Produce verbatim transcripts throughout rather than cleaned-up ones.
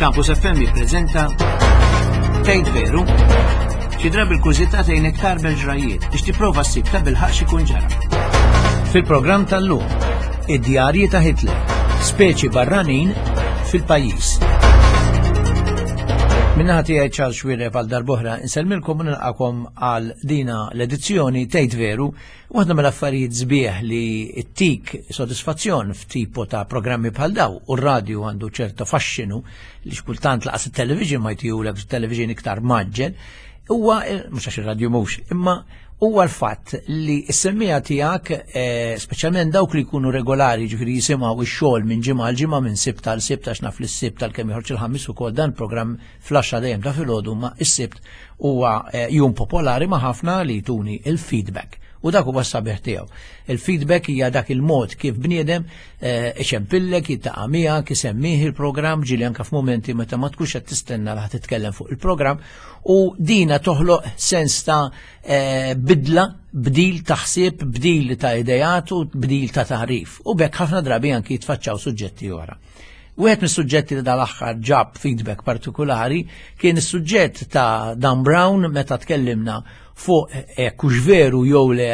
Campus F M jippreżenta Tgħid Veru? Xi drabi l-kurżità tgħinek tarbel ġrajiet biex tipprova ssib ta' bilħaq x'ikun ġara. Fil-programm tal-lum, id-djarji ta' Hitler, speċi barranin fil-pajjiż. Min-naħa tiegħi Charles Xuereb, għal darb'oħra insellmilkom u nilqakom għal dina l-edizzjoni Tgħid Veru. Waħda mill-affarijiet sbieħ li ttik sodisfazzjon f'tipu ta' programmi bħal daw, u r-radju għandu ċerta faxxinu li xkultant lanqas il-television ma jtihulek, television iktar mgħaġġel, huwa mhux għax ir-radju mhux, imma huwa l-fatt li s-semmiegħa tiegħek, eh, speċjalment dawk li jkunu regolari, ġifieri jisimgħu ix-xogħol minn ġimgħa għal ġimgħa, minn Sibt għal Sibt, għax naf li s-Sibt tal-kemm joħroġ il-Ħamis ukoll dan programm fl-għaxra dejjem ta' filgħodu, ma s-Sibt huwa eh, jum popolari ma' ħafna li jtuni il-feedback. U dak huwa s-sabiħ tiegħu. Il-feedback hija dak il-mod kif bniedem eh, iċempillek, jiltaqa' miegħek, isemmih il-programm, ġieli anke f'mumenti meta ma tkunx qed tistenna li titkellem fuq il-programm, u dina toħloq sens ta' eh, bidla, bdil ta' ħsieb, bdil ta' idejat u bdil ta' taħrif. U b'hekk ħafna drabi anki jitfaċċaw suġġetti oħra. Wieħed mis-suġġetti li dal-aħħar ġab feedback partikolari kien is-suġġett ta' Dan Brown, meta tkellimna fuq hux veru jew le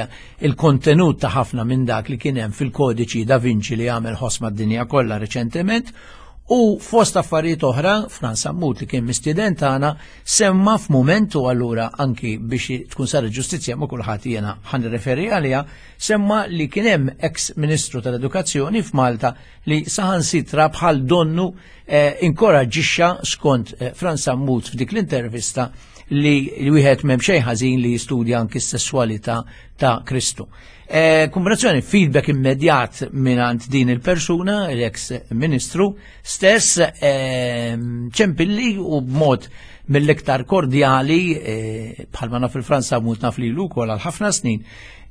il-kontenut ta' ħafna minn dak li kien hemm fil-kodiċi Da Vinci li għamel ħoss mad-dinja kollha reċentement. U fost affarijiet oħra, Frans Sammut, li kien mistieden tagħna, semma f'mumentu, allura anki biex tkun saret ġustizzja ma' kulħadd jiena ħa nirreferi għaliha, semma li kien hemm ex Ministru tal-Edukazzjoni f'Malta li saħansitra bħal donnu eh, inkoraġġixxa, skont eh, Frans Sammut f'dik l-intervista, li wieħed m'hemm xejn ħażin li jistudja anki s-sessualità ta' Kristu. E, kombinazzjoni feedback immedjat mingħand din il-persuna, l-ex ministru stess, e, ċempilli u b'mod mill-iktar kordjali, e, bħalma naf il-Frans Sammut, naf li l għal ħafna snin,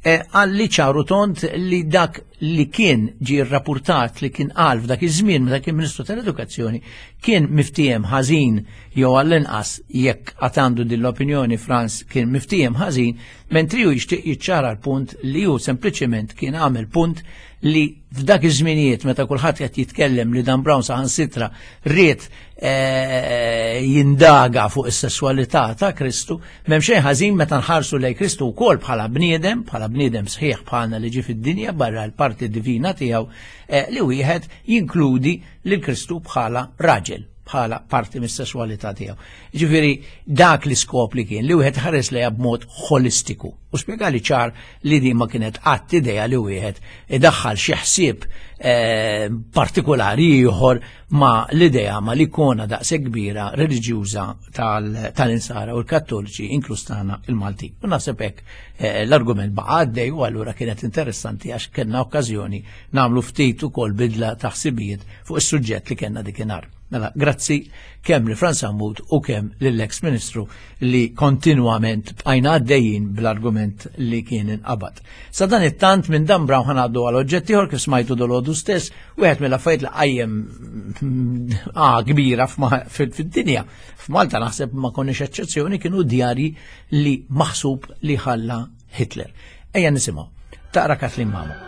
qalli ċar u tond li dak li kien ġi rapportat li kien qal f'dak iż-żmien meta kien Ministru tal-Edukazzjoni kien miftiehem ħażin, jew għall-inqas jekk għandu din l-opinjoni Frans kien miftiehem ħażin, mentri hu jixtieq jiċċara l-punt li hu sempliċement kien għamel punt li f'dak iż-żminijiet meta kulħadd qed jitkellem li Dan Brown saħansitra ried eh, jindaga fuq is-sesswalità ta' Kristu, m'hemm xejn ħażin meta nħarsu lejn Kristu wkoll bħala bniedem, bħala bniedem sħiħ bħalna li ġie fid-dinja barra l-parti divina tiegħu, eh, li wieħed jinkludi lil Kristu bħala raġel, bħala parti mis-sesswalità tiegħu. Ġifieri dak l-iskop li kien li wieħed ħares lejha b'mod holistiku. U spjegali ċar li din ma kienet qatt idea li wieħed idaħħal xi ħsieb eh, partikolari ieħor ma l-idea ma l-ikona daqshekk kbira reliġjuża tal-insara u l-Kattoliċi, inkluż tagħna il-Malti. U naħseb hekk eh, l-argument baqa' għaddej, u allura kienet interessanti għax kellna okkażjoni nagħmlu ftit ukoll bidla ta' ħsibijiet fuq is-suġġett li kellna dikinhar. Mela, grazzi kemm li Frans Sammut u kemm lill-ex Ministru li kontinwament bqajna għaddejjin bl-argument li kien inqabad. Sa dan it-tant minn Dan Brown ħa ngħaddu għal oġġett ieħor. Kif smajtu dalgħodu stess, wieħed mill-affarijiet li qajjem ah, kbira fid-dinja. F'Malta naħseb ma konniex eċċezzjoni, kienu djarji li maħsub li ħalla Hitler. Ejja nisimgħu. Taqra Kathleen Mamo.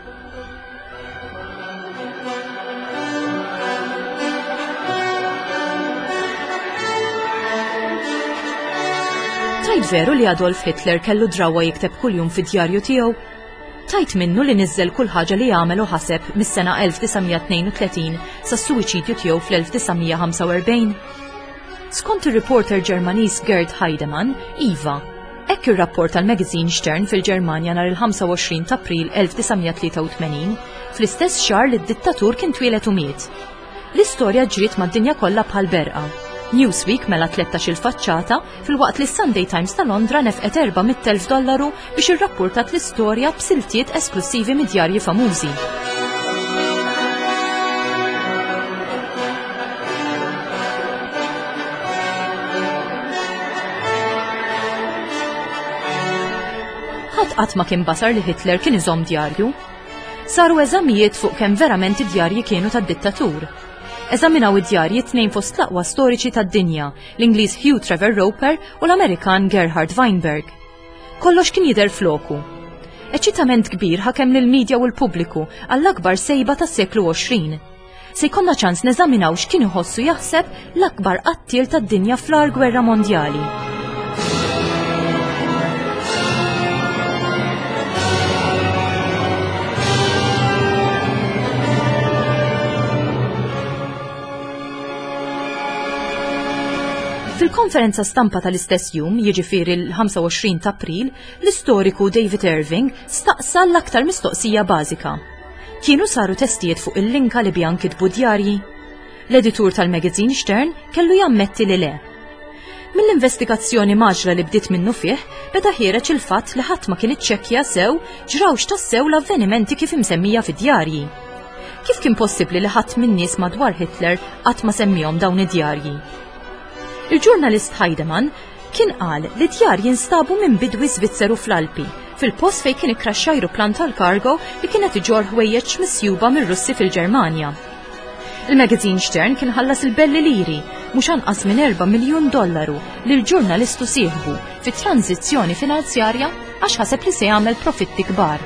Tgħid veru li Adolf Hitler kellu drawa jikteb kuljum fid-djarju tiegħu? Tgħid minnu li niżel kull ħaġa li għamel u ħaseb mis-sena elf disa' mija tnejn u tletin sas-suwiċidju tiegħu fl-elf disa' mija ħamsa u erbgħin? Skont ir-reporter Ġermaniż Gerd Heidemann, iva. Hekk ir-rapport tal-magazine Stern fil-Ġermanja nhar il-ħamsa u għoxrin ta' April elf disa' mija tlieta u tmenin, fl-istess xahar li d-dittatur kien twieled u miet. L-istorja ġriet mad-dinja kollha bħal berqa. Newsweek mela tlettax il-faċċata, filwaqt li Sunday Times ta' Londra nefqet erba' mitt elf dollaru biex irrapportat l-istorja b'siltiet esklusivi mid-djarji famużi. Ħadd qatt ma kien basar li Hitler kien iżomm djarju. Saru eżamijiet fuq kemm verament id-djarji kienu tad-dittatur. Eżaminaw id-djarji tnejn fost l-aqwa storiċi tad-dinja, l-Ingliż Hugh Trevor Roper u l-Amerikan Gerhard Weinberg. Kollox kien jidher floku. Eċitament kbir ħakem lil-medja u l-pubbliku għall-akbar sejba tas-seklu għoxrin. se jkollna ċans neżaminaw x'kien iħossu jaħseb l-akbar qattiel tad-dinja fl-agħar gwerra mondjali. Fil-konferenza stampa tal-istess jum, jiġifieri l-ħamsa u għoxrin ta' April, l-istoriku David Irving staqsa l-aktar mistoqsija bażika. Kienu saru testijiet fuq il-linka li biha nkitbu djarji? L-editur tal-magazine Stern kellu jammetti li le. Mill-investigazzjoni maġla li bdiet minnu fih, beda ħiereġ il-fatt li ħadd ma kien iċċekkja sew ġrawx tassew l-avvenimenti kif imsemmija fid-djarji. Kif kien possibbli li ħadd min-nies madwar Hitler qatt ma semmihom dawn id-djarji? Il-ġurnalist Heidemann kien qal li djar jinstabu minn bidwi Svizzeru fl-Alpi, fil-post fejn kien ikkraxxa ajruplan tal-kargo li kienet iġorr ħwejjeġ misjuba mir-Russi fil-Ġermanja. Il-magazine Stern kien ħallas il-belli liri, mhux anqas minn erba' miljun dollaru lil ġurnalistu sieħbu fi tranzizzjoni finanzjarja għax ħaseb li se jagħmel profitti kbar.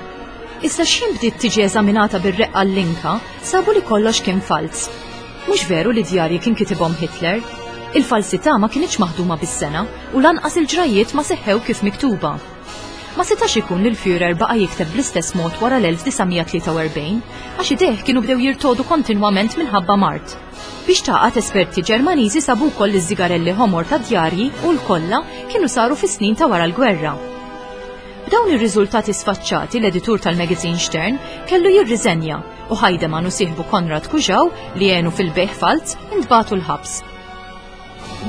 Issa x'ħin bdiet tiġi eżaminata bir-reqqa l-linka, sabu li kollox kien falz. Mhux veru li djarji kien kitibhom Hitler. Il-falsità ma kienx maħduma bis-sena u lanqas il-ġrajiet ma seħħew kif miktuba. Ma setax ikun li l-Führer baqa' jikteb bl-istess mod wara l-elf disa' mija tlieta u erbgħin, għax idejh kienu bdew jirtodu kontinwament minħabba mard. Biex taqgħad esperti Ġermaniżi sabu wkoll iż-żigarelli ħomor ta' djarji u l-kollha kienu saru fis-snin ta' wara l-gwerra. B'dawn ir-riżultati sfaċċati l-editur tal-magazine Stern kellu jirriżenja u Heidemann u sieħbu Konrad Kujau li għenu fil-bejħ falz intbagħtu l-ħabs.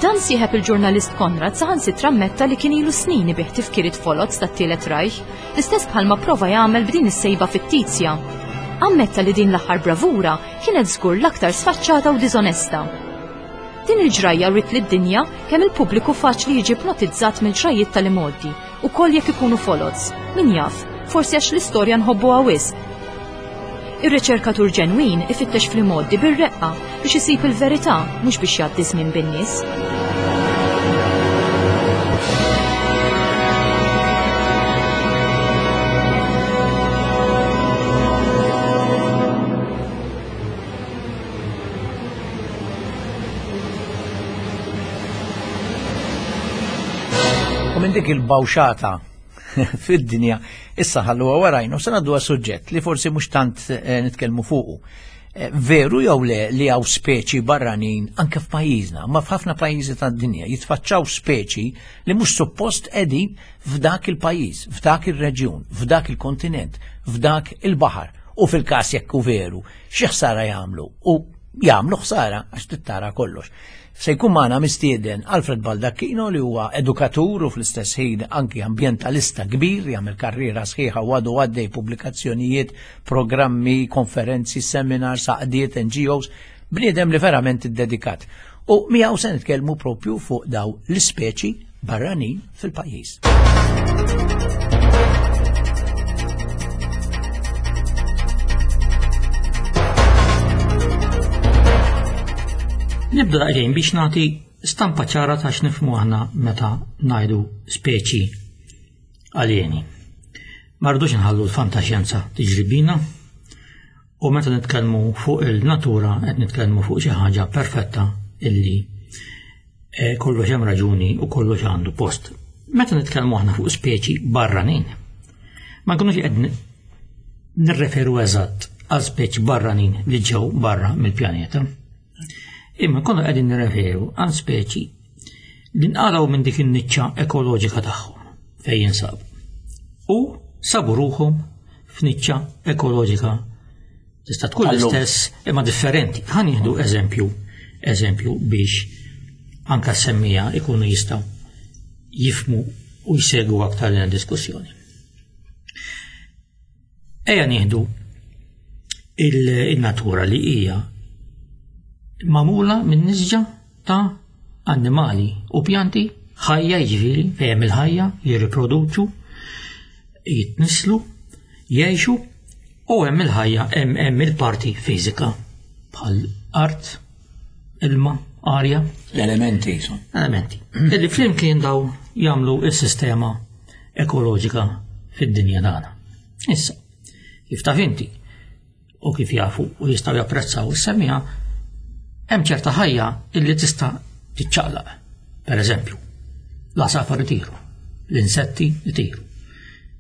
Dan sieħeb il-ġurnalist Konrad saħansitra ammetta li kien ilu snin ibih tifkiriet folots tat-Tielet Reich, l-istess bħalma prova jagħmel b'din is-sejba fittizja. Ammetta li din l-aħħar bravura kienet żgur l-aktar sfaċċata u diżonesta. Din il-ġrajja rrit lid-dinja kemm il-pubbliku faċli jiġi ipnotizzat mill-ġrajiet tal-imgħoddi, ukoll jekk ikunu folots. Min jaf, forsi għax l-istorja nħobbuha wisq. Ir-riċerkatur ġenwin ifittex fl-imgħoddi bir-reqqa biex isib il-verità, mhux biex jgħaddi żmien bin-nies. U minn dik il-bawxata fid-dinja issa ħalluha warajna u se ngħaddu għas suġġett li forsi mhux tant, eh, nitkellmu fuqu. Eh, veru jew le li hawn speċi barranin anke f'pajjiżna, ma f'ħafna pajjiżi tad-dinja jitfaċċaw speċi li mhux suppost qegħdin f'dak il-pajjiż, f'dak ir-reġjun, f'dak il-kontinent, f'dak il-baħar. U fil-każ jekk hu veru, xi ħsara jagħmlu? U jagħmlu ħsara għax tittara kollox. Se jkun magħna mistieden Alfred Baldacchino li huwa edukatur u fl-istess ħin anki ambjentalista kbir, jagħmel karriera sħiħa u għadu għaddej pubblikazzjonijiet, programmi, konferenzi, seminars, għaqdiet, N G Os, bniedem li verament iddedikat. U miegħu se nitkellmu propju fuq daw l-ispeċi barranin fil-pajjiż. Nibda daqsxejn biex nagħti stampa ċara ta' x'nifhmu aħna meta ngħidu speċi aljeni. Ma rridux nħallu l-fantaxjenza tiġri bina, u meta nitkellmu fuq il-natura qed nitkellmu fuq xi ħaġa perfetta illi, eh, kollox hemm raġuni u kollox għandu post. Meta nitkellmu aħna fuq speċi barranin, ma nkunux qed nirreferu eżatt għal speċi barranin li ġew barra mill-pjaneta. Imma konna qegħdin nirreferu għal speċi li nqalgħu minn dik in-niċċa ekoloġika tagħhom fejn jinsabu. U sabu ruħhom f'niċċa ekoloġika tista' tkun Allum. l-istess imma differenti. Ħa nieħdu eżempju, eżempju biex anka s-semmija ikunu jistgħu jifhmu u jsegwu aktar din id-diskussjoni. Ejja nieħdu il-, il-natura li hija magħmula minn nisġa ta' annimali u pjanti ħajja, jiġifieri fejn hemm il-ħajja, jirriproduċu, jitnislu, jgħixu, u hemm il-ħajja, hemm, hemm il-parti fiżika bħal art, ilma, arja. L-elementi jisom. Elementi. Illi flimkien daw jagħmlu s-sistema ekoloġika fid-dinja tagħna. Issa, kif taf inti, u kif jafu u jistgħu japprezzaw is-semmiegħa, hemm ċerta ħajja illi tista' tiċċaqlaq. Per eżempju, l-għasafar itiru, l-insetti itiru,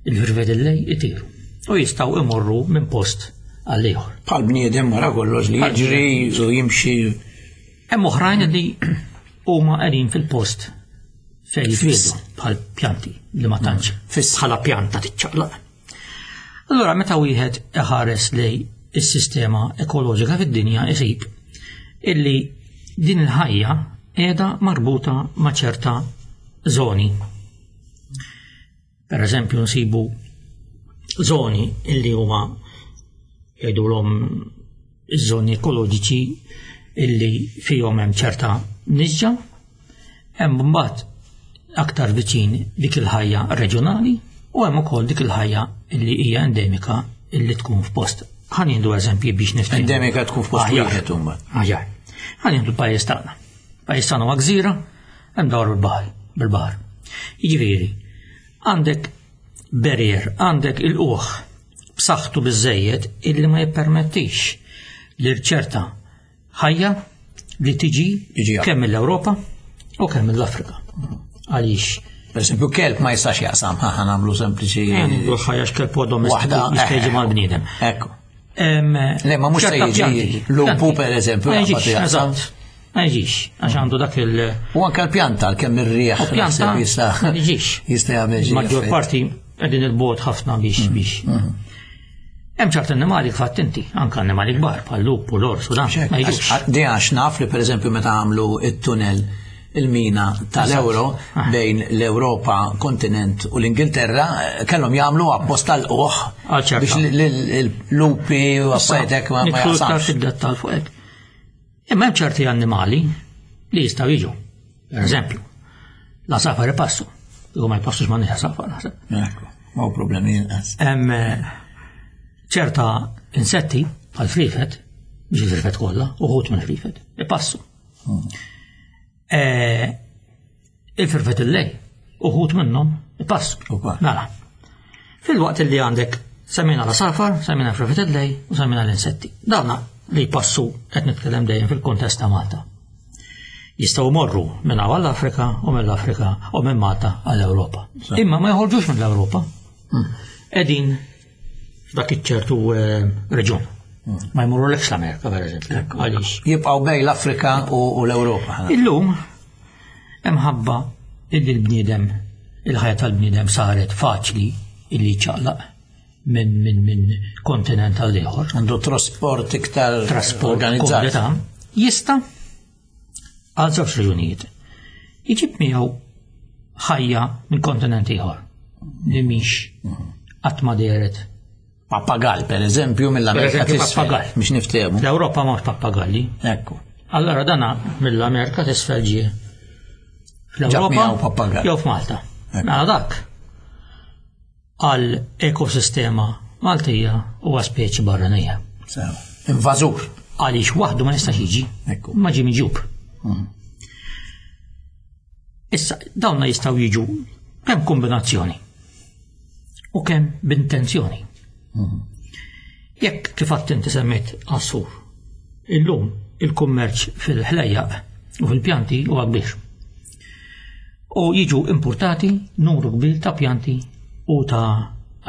il-firfet il-lejl itiru u jistgħu imorru minn post għal ieħor. Bħal bniedem wara kollox li jiġri u jimxi. Hemm oħrajn li huma qegħdin fil-post fejn jitwieldu, bħal pjanti li ma tantx Fiss. bħala pjanta tiċċaqlaq. Allura meta wieħed iħares lej is-sistema ekoloġika fid-dinja isib illi din il-ħajja qiegħda marbuta ma' ċerta zoni. Per eżempju nsibu zoni illi huma jgħidulhom iż-żoni ekoloġiċi illi fihom hemm ċerta nisġa, hemm mbagħad aktar viċin dik il-ħajja reġjonali u hemm ukoll dik il-ħajja illi hija endemika illi tkun f'post. Ħa nieħdu eżempji biex niftehmu. Endemika tkun f'post Aħjar. wieħed imbagħad. Aħjar. Ħa nieħdu l-pajjiż tagħna. Pajjiż tagħna huwa gżira, hemm dawr bil-baħar, bil-baħar. Jiġifieri, għandek barrier, għandek il-uħ b'saħħtu biżejjed illi ma jippermettix li ċerta ħajja li tiġi Jiġi kemm mill-Ewropa u kemm mill-Afrika. Għaliex Per eżempju, kelb ma jistax jaqsam, ħa ħa nagħmlu sempliċi. Għandu ħajja x'kelb huwa domestiku Waħda, jista' jiġi eh, mal-bniedem. Ekku. Em, Le, ma mhux se ċerta jiġi pjanti, lupu, pjanti. per eżempju, Ma jaqbad jiġix, jaqsam. eżatt. Ma jiġix, għax għandu dak il- U anke l-pjanta, kemm ir-rieħ U pjanta naħseb jista' ma jiġix. jista' jagħmel xi Maġġor effett. parti qegħdin il-bogħod ħafna biex Mm, biex. Hemm ċert annimali fatt inti, anke annimali kbar bħal lup u l-ors u dan, ma jiġux. Għax- Di għax naf li per eżempju meta għamlu it-tunnel il-mina tal-Euro Ah. bejn l-Europa kontinent u l-Ingilterra eh, kellhom jagħmlu apposta l-uħ Għal ċerta. biex l-lupi u affarijiet ma ma Nidħlu iktar jaqsamx. fid-dettall fuq hekk. Imma hemm ċerti annimali li jistgħu jiġu. Per eżempju, l-għasafar ipassu. Jew ma jpassux ma' għasafar naħseb. Ekku, ma hu problemi inqas. Hemm eh, ċerta insetti bħal frifet, mhux il-frifet kollha, uħud minn frifet, ipassu. Eh, Il-firfet il-lejl, uħud minnhom ipassu. Ukoll. Mela. Fil-waqt li għandek semmejna l-għasafar, semmejna l-frifet il-lejl u semmejna l-insetti. Dawna li jpassu qed nitkellem dejjem fil-kontest ta' Malta. Jistgħu morru minn hawn għall-Afrika u mill-Afrika u minn Malta għall-Ewropa. Imma ma joħorġux mill-Ewropa. Qegħdin f'dak iċ-ċertu eh, reġjun. Ma jmurrulekx l-Amerika, per eżempju. Għaliex? Jibqgħu bejn l-Afrika u u l-Ewropa. Illum hemm ħabba illi l-bniedem il-ħajja tal-bniedem saret faċli illi ċaqlaq minn min, min kontinent għal ieħor. Għandu trasport iktar Trasport organizzat. komodità, jista' għal żewġ raġunijiet. Iġib miegħu ħajja minn kontinent ieħor li mhix qatt ma dehret. Pappagall, per eżempju, mill-Amerika Per eżempju, t'isfel, pappagall. biex niftehmu. Fl-Ewropa m'hawnx pappagalli. Ekku. Allora dana mill-Amerika t'isfel ġie. Ġab Fl-Ewropa miegħu pappagall. jew f'Malta. Ekku. Mela dak għal ekosistema Maltija huwa speċi barranija. Sew. Invażur. Għaliex waħdu ma jistax jiġi. Ekku. Ma ġie miġjub. Issa, dawna jistgħu jiġu kemm kombinazzjoni u kemm b'intenzjoni. Jekk kif għadt inti semmejt għasfur, illum il-kummerċ fil-ħlejjaq u fil-pjanti huwa kbir. U jiġu importati numru kbir ta' pjanti u ta'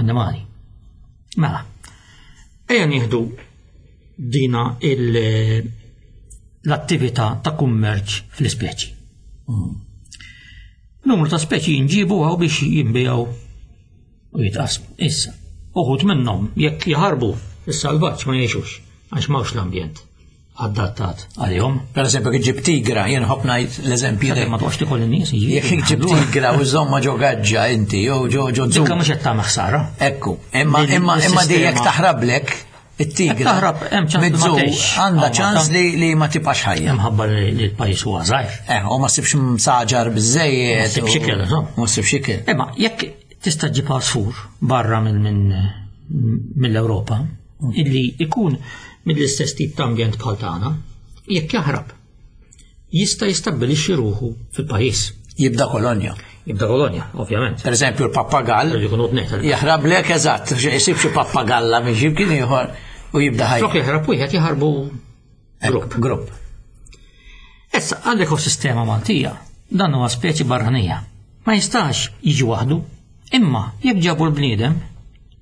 annimali. Mela, ejja nieħdu dina il- l-attività ta' kummerċ fl-ispeċi. Numru ta' speċi jinġibu għaw biex jinbijaw u jitqasmu. Issa, uħud minnhom jekk jaħarbu is-salvaġġ ma jgħixux għax m'hawnx l-ambjent adattat għalihom. Per eżempju, kif ġib tigra, jien ħobb ngħid l-eżempji Sakemm ma toqgħodx tikol in-nies Jekk ġib tigra u żomma ġo gaġġa inti, jew ġo ġo Dikka zoo. mhux qed tagħmel ħsara. Ekku, imma Lil- imma imma di jekk lis-sistema. taħrablek it-tigra. Jekk taħrab, hemm ċans li ma mid-zoo tgħix. Għandha Hawn ċans Malta. li li ma tibqax ħajja. Imħabba li li l-pajjiż huwa żgħir. Eh, u ma ssibx msaġar biżejjed. Ma ssibx u- ikel, insomma. Ma ssibx ikel. Imma jekk tista' ġib għasfur barra minn minn mill-Ewropa illi ikun mill-istess tip ta' ambjent bħal tagħna, jekk jaħrab jista' jistabbilixxi ruħu fil-pajjiż. Jibda kolonja. Jibda kolonja, ovvjament. Per eżempju, l-pappagall Irridu jkunu tnejn. jaħrablek eżatt, jsib xi pappagalla minn xi kien ieħor U jibda ħajja. Flok jaħrab wieħed jaħarbu grupp. Grupp. Issa għall-ekosistema Maltija dan huwa speċi barranija. Ma jistax jiġi waħdu, imma jekk ġabu l-bniedem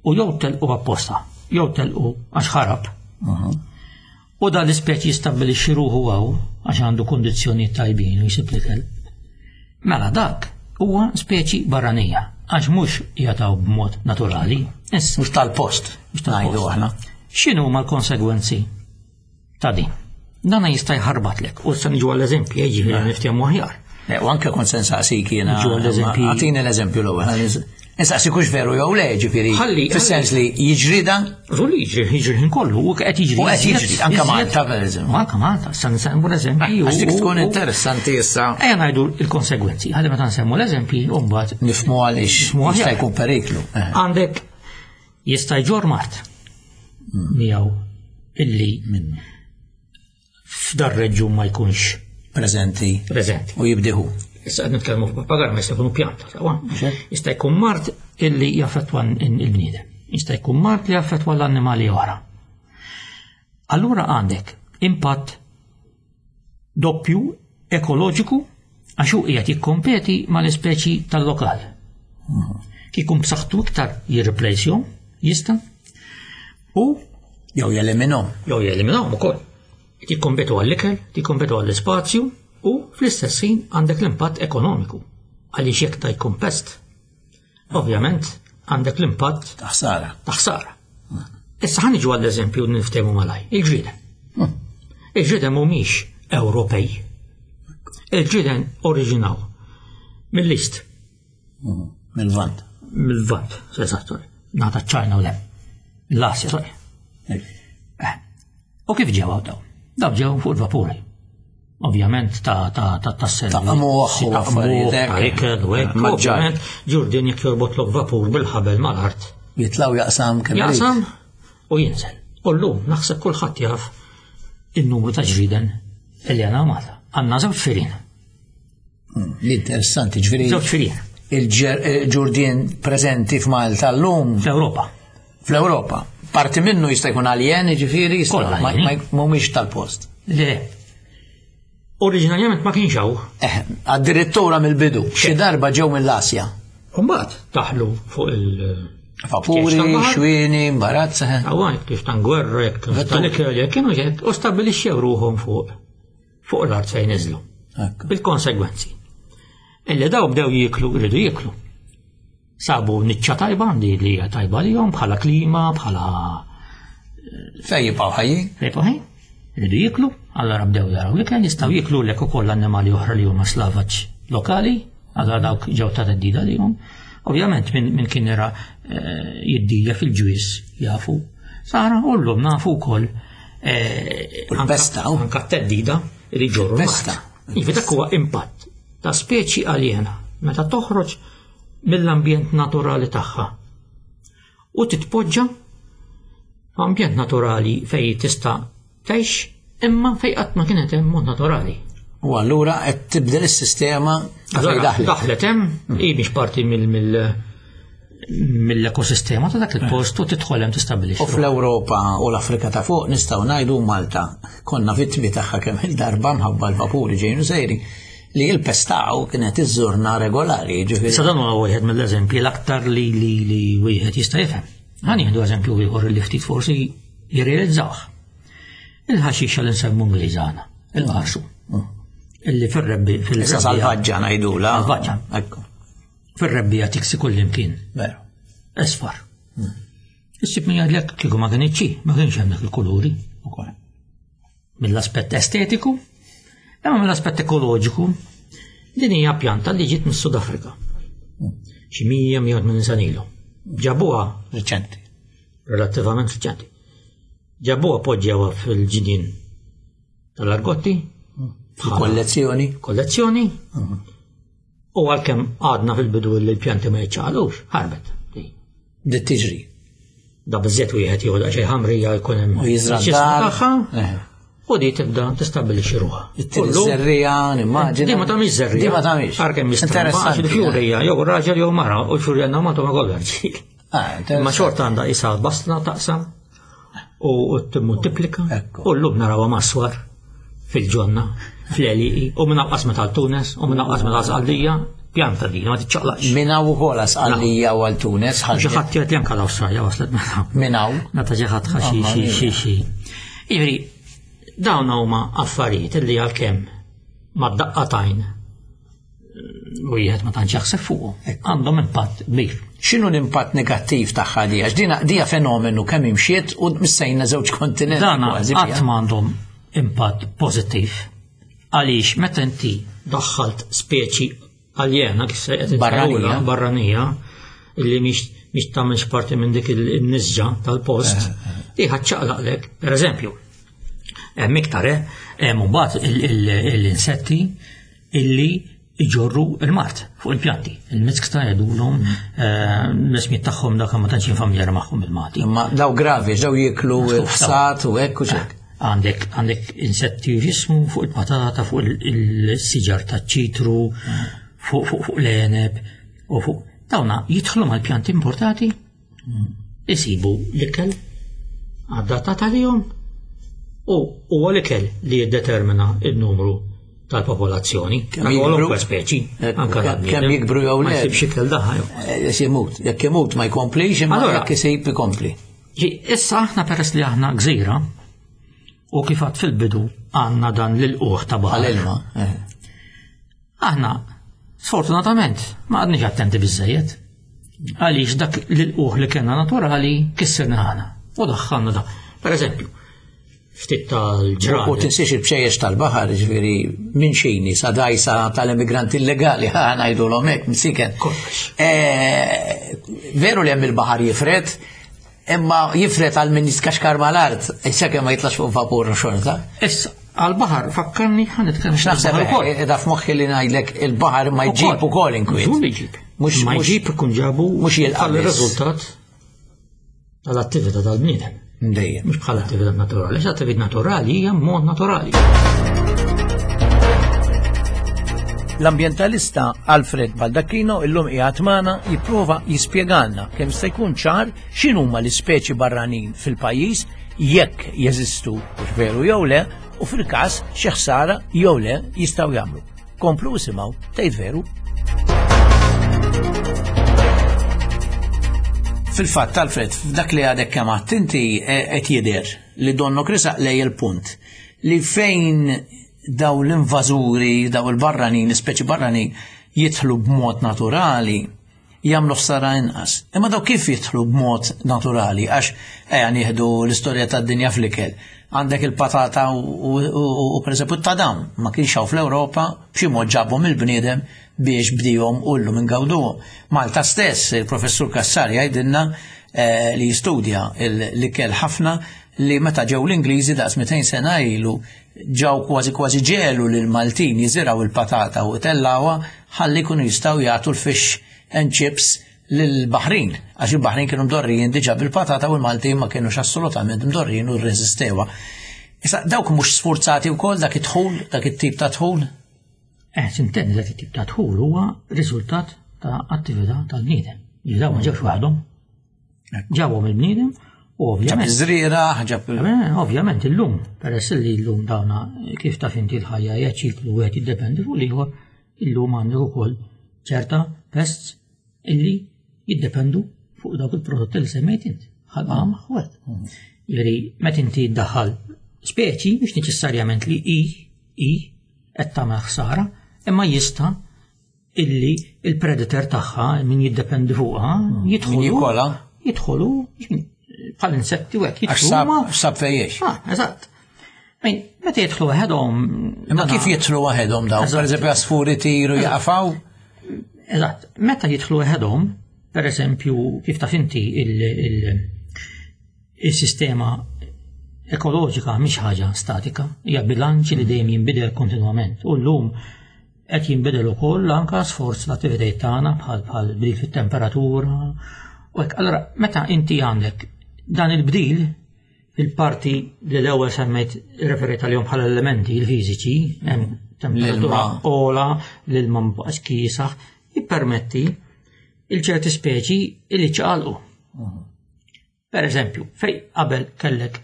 u jew telqu apposta, jew telqu għax ħarab. U dan l-ispeċi jistabbilixxi ruħu hawn għax għandu kundizzjonijiet tajbin u jsib l-ikel. Mela dak huwa speċi barranija għax mhux jataw b'mod naturali. Issa Mhux tal-post. Mhux tal-post. Ngħidu aħna. X'inhu huma l-konsegwenzi ta' din? Dana jista' jħarbatlek u issa niġu għall-eżempji, jiġifieri niftehmu aħjar. Eh, U anke kont se nsaqsik jiena. Ġu l-eżempji. Għatini l-eżempju l-ewwel. Nsaqsik hux veru jew le, ġifieri. Ħalli- Fis-sens li jiġri dan Żgur li jiġri, jiġri ħin kollu, u qed jiġri. U qed jiġri, iżjed- anke iżjed- Malta, per eżempju. U anke Malta, issa nsemmu l-eżempji. u- għax dik u- tkun u- interessanti issa Ejja ngħidu l-konsegwenzi, ħalli meta nsemmu l-eżempji, u mbagħad nifhmu għaliex Nifhmu aħjar. jista' jkun periklu. Eh. għandek jista' jġor mart miegħu illi f'dar reġjun ma jkunx Preżenti preżenti. u jibdiħu. Issa qed nitkellmu f'papagar ma jista' jkunu pjanta, sewwa. Jista' jkun mart illi jaffettwa il-bniedem. Jista' jkun mart li jaffettwa l-annimali oħra. Allura għandek impatt doppju ekoloġiku għax hu qiegħed jikkompeti mal-ispeċi tal-lokal. Kikun b'saħħtu iktar jirreplacjhom, jista' u Jew jeliminhom. jew jeliminawhom ukoll. Tikkompetu għall-ikel, tikkompetu għall-ispazju u fl-istess ħin għandek l-impatt ekonomiku. Għaliex jekk ta' jkun pest, ovvjament għandek l-impatt Ta' ħsara. ta' ħsara. Issa ħa niġu għall-eżempju niftehmu malaj, il-ġrieden. Il-ġrieden mhumiex Ewropej. Il-ġrieden oriġinaw mill-East, Mill-Lvant. mill-Lvant, eżatt, sorry. Nata ċ-Ċajna u lem. L-Asja, sorry. Eh. U kif ġew daw? Daw ġew fuq il-vapuri. Ovvjament ta' ta' ta' ta' Ta' qmuħ u affarijiet hekk. ta' ikel u hekk. Maġġar. Ovvjament ġurdin jekk jorbotlok vapur bil-ħabel mal-art. Jitlaw jaqsam kemm irid. Jaqsam u jinżel. U llum naħseb kulħadd jaf il-numru ta' ġriden li għandna Malta. Għandna żewġ firien. Mm, Li interessanti, ġifieri Żewġ firien il-ġurdien preżenti f'Malta llum fl-Ewropa. fl-Ewropa. Parti minnu jista' jkun aljen, ġifieri, jista' Kollha ma- aljeni. ma- mhumiex tal-post. Le. Oriġinarjament ma kienx hawn. Eh, addirittura mill-bidu, xi darba ġew mill-Asja. Mbagħad daħlu fuq il- Vapuri, xwieni, imbarazz. eh. Għawan, kif tan gwerra, jek Vettur. tal-ikel, jek kienu jek, u stabilixxew ruħhom fuq fuq l-art fejn niżlu. Ekku. Bil-konsegwenzi. Illi daw bdew jiklu, rridu jiklu. Sabu niċċa tajba li li hija tajba lihom bħala klima, bħala Fej jibqgħu ħajjin? fejn ħin, rridu jiklu, allora bdew jaraw l-ikel, jistgħu jiklu lek ukoll annimali oħra li huma slavaġ lokali, allora dawk ġew ta' teddida lihom. Ovvjament minn min kien era eh, jiddija fil-ġwis jafu. Sara, u llum nafu wkoll eh, U l-pesta, u. anka t-teddida li ġorru Il-pesta. l-art. Iva dak huwa impatt ta' speċi aljena meta toħroġ mill-ambjent naturali tagħha u titpoġġa f'ambjent naturali fej tista' tgħix imma fej qatt ma kienet hemm mod naturali. U allura qed tibdel is-sistema ta' fejn Allora, daħlet. daħlet hemm, hi biex parti mill mill mill-ekosistema ta' dak il-post u tidħol hemm tistabbilixxi. U fl-Ewropa u l-Afrika ta' fuq nistgħu ngħidu Malta konna vittmi tagħha kemm il-darba mħabba l-vapuri ġejnu sejri li l-pestaw kienet iżżurna regolari, ġifieri. Issa dan huwa wieħed mill-eżempji l-aktar li li li wieħed jista' jifhem. Ħa nieħdu eżempju ieħor li ftit forsi jirrealizzawh. Il-ħaxixa li nsemmu Ingliżana, il-qarsu. Illi fir-rebbi Issa fil-rebbija salvaġġa ngħidula. Salvaġġa. Ekku, fir-rebbija tiksi kullimkien. veru. Esfar. Issib min jgħidlek kieku ma kienx ma kienx hemm dak il-kuluri. Ukoll. Mill-aspett estetiku, imma mill-aspett ekoloġiku, din hija pjanta li ġiet mis-Sud Afrika. Xi mija mija u tmenin sena ilu. Ġabuha Riċenti. relattivament riċenti. Ġabuha poġġewha fil-ġnien tal-Argotti, bħala Kollezzjoni. kollezzjoni, u għalkemm għadna fil-bidu li l-pjanti ma jiċċaqalux, ħarbet. Bdiet tiġri. Da biżżejjed wieħed jieħu daqsxejn ħamrija jkun hemm U jiżra' ġismu d-dar. tagħha, Eh. u di tibda tistabbilixxi ruħha. It-tieni żerriegħa, nimmaġina. Di ma tagħmilx żerriegħa. Di ma tagħmilx. Għalkemm jistramba, għax Interessanti. il-fjurija jew raġel jew mara u l-fjurija għandna ma kollha rġiel. Ah, Imma interessanti. xorta għandha isa basla taqsam u timmultiplika u llum narawha maswar fil-ġonna, fl-għelieqi, u minn hawn qasmet għal Tunes, u minn hawn qasmet għal Sqallija, pjanta din, ma tiċċaqlaqx. Minn hawn ukoll Sqallija u għal Tunes. Xi ħadd jgħid li anke l-Awstralja waslet minn hawn. Minn hawn. Meta xi ħadd xi xi xi xi. Jiġifieri, dawn huma affarijiet li għalkemm mad-daqqa t'għajn wieħed ma tantx jaħseb fuqu, għandhom impatt kbir. X'inhu l-impatt negattiv tagħha di? Għax dina dija fenomenu kemm imxiet u missejna żewġ kontinenti. Dana qatt m'għandhom impatt pożittiv. Għaliex meta inti daħħalt speċi aljena kif se qed barranija, barranija illi mhix mhix tagħmilx parti minn dik il-nisġa tal-post, di ħaċċaqlaqlek, pereżempju, hemm iktar hemm imbagħad l-insetti illi iġorru il-mart fuq il-pjanti. Il-miskta jgħidulhom l-ismijiet tagħhom dak ma tantx familjari magħhom il-Malti. Imma daw gravi, daw jieklu ħsat u hekk u xek. Għandek għandek insetti jismu fuq il-patata, fuq il-siġar taċ-ċitru, fuq fuq fuq l-għeneb u fuq dawna jidħlu mal-pjanti importati, isibu l-ikel adattat għalihom u huwa l-ikel li jiddetermina il-numru tal-popolazzjoni. Kwalunkwe speċi. Kemm jikbru jew le. Ma jsibx ikel daħ. Jimut, jekk imut ma jkomplix, imma jekk isib ikompli. Issa aħna peress li aħna gżira u kif għad fil-bidu għandna dan l-ilquħ ta' baħar. Għal-ilma. Aħna sfortunatament ma għadniex attenti biżżejjed. Għaliex dak l-ilquħ li kellna naturali kissirna aħna u daħħalna da. Per eżempju, ftit tal-ġranet. U tinsiex il-bxejjex tal-baħar, ġifieri minn xini sa dajsa tal-immigranti illegali, ħa ngħidulhom hekk msiken. Veru li hemm il-baħar jifred, imma jifred għal min jitkaxkar mal-art, issa kemm ma jitlax fuq vapur xorta. Issa, għal-baħar fakkarni ħa nitkellem. X'naħseb qiegħda f'moħħi li ngħidlek il-baħar ma jġib ukoll inkwiet. Żgur li jġib. Ma jġib ikun ġabu mhux jilqa' ir-riżultat tal-attività tal-bniedem. Dejjem. Mhux bħala attività naturali, għax attività naturali hija mod naturali. L-ambjentalista Alfred Baldacchino illum qiegħed magħna jipprova jispjegalna kemm se jkun ċar x'inhuma l-ispeċi barranin fil-pajjiż jekk jeżistu hux veru jew le u fil-każ xi ħsara jew le jistgħu jagħmlu. Komplu isimgħu tgħid veru. Fil-fatt, Alfred, f'dak li għadek kemm għedt inti qed jidher li donnok risaq lej il-punt li fejn daw l-invażuri, daw il-barranin, l-ispeċi barranin jidħlu b'mod naturali, jagħmlu ħsara inqas. Imma daw kif jidħlu b'mod naturali? Għax ejja nieħdu l-istorja tad-dinja fl-ikel. Għandek il-patata u pereżempju t-tadam ma kienx hawn fl-Ewropa, b'xi mod ġabhom il-bniedem biex bdihom u llum ingawduhom. Malta stess, il-professur Kassar jgħidilna li jistudja l-ikel ħafna li meta ġew l-Ingliżi daqs mitejn sena ilu ġew kważi kważi ġelu lil Maltin jiżiraw il-patata u tellawha ħalli jkunu jistgħu jagħtu l-fish and chips lill-Baħrin, għax il-Baħrin kienu mdorrijin diġà bil-patata u l-Maltin ma kienux assolutament mdorrijin u rreżistewha. Issa dawk mhux sfurzati wkoll dak id-dħul, dak it-tip ta' dħul? Eh, sintendi dak it-tip ta' dħul huwa riżultat ta' attività tal-bniedem. Li dawn ma ġewx waħdhom. Ġabhom il-bniedem u ovvjament. Ġab iż-żrieragħ, ġab Ovvjament illum, peress li llum dawna kif taf inti l-ħajja hija ċiklu wieħed jiddependi fuq l-ieħor, illum għandek ukoll ċerta pests illi jiddependu fuq dawk il-prodotti li semmejt int. Ħalqam ħwet. Jiġifieri meta inti ddaħħal speċi mhux neċessarjament li hi hi qed tagħmel ħsara, imma jista' illi il-predator tagħha min jiddependi fuqha jidħolu jidħolu bħal insetti u hekk jidħlu. Sab fejjex. Ah, eżatt. Meta jidħlu waħedhom. Imma kif jidħlu waħedhom dawn? Pereżempju għasfuri tiru jaqafaw? Eżatt. Meta jidħlu waħedhom, pereżempju kif taf inti il-sistema ekoloġika mhix ħaġa statika, hija bilanċ li dejjem jinbidel kontinwament. U llum qed jinbidel ukoll anke sforz l-attivitajiet tagħna bħal bħal bdil fit-temperatura. U hekk, allura meta inti għandek dan il-bdil fil-parti li l-ewwel semmejt referejt għalihom bħala elementi il-fiżiċi, hemm temperatura ogħla, l-ilma mbaqax kiesaħ, jippermetti il-ċerti speċi li ċaqalqu. Per eżempju, fej qabel kellek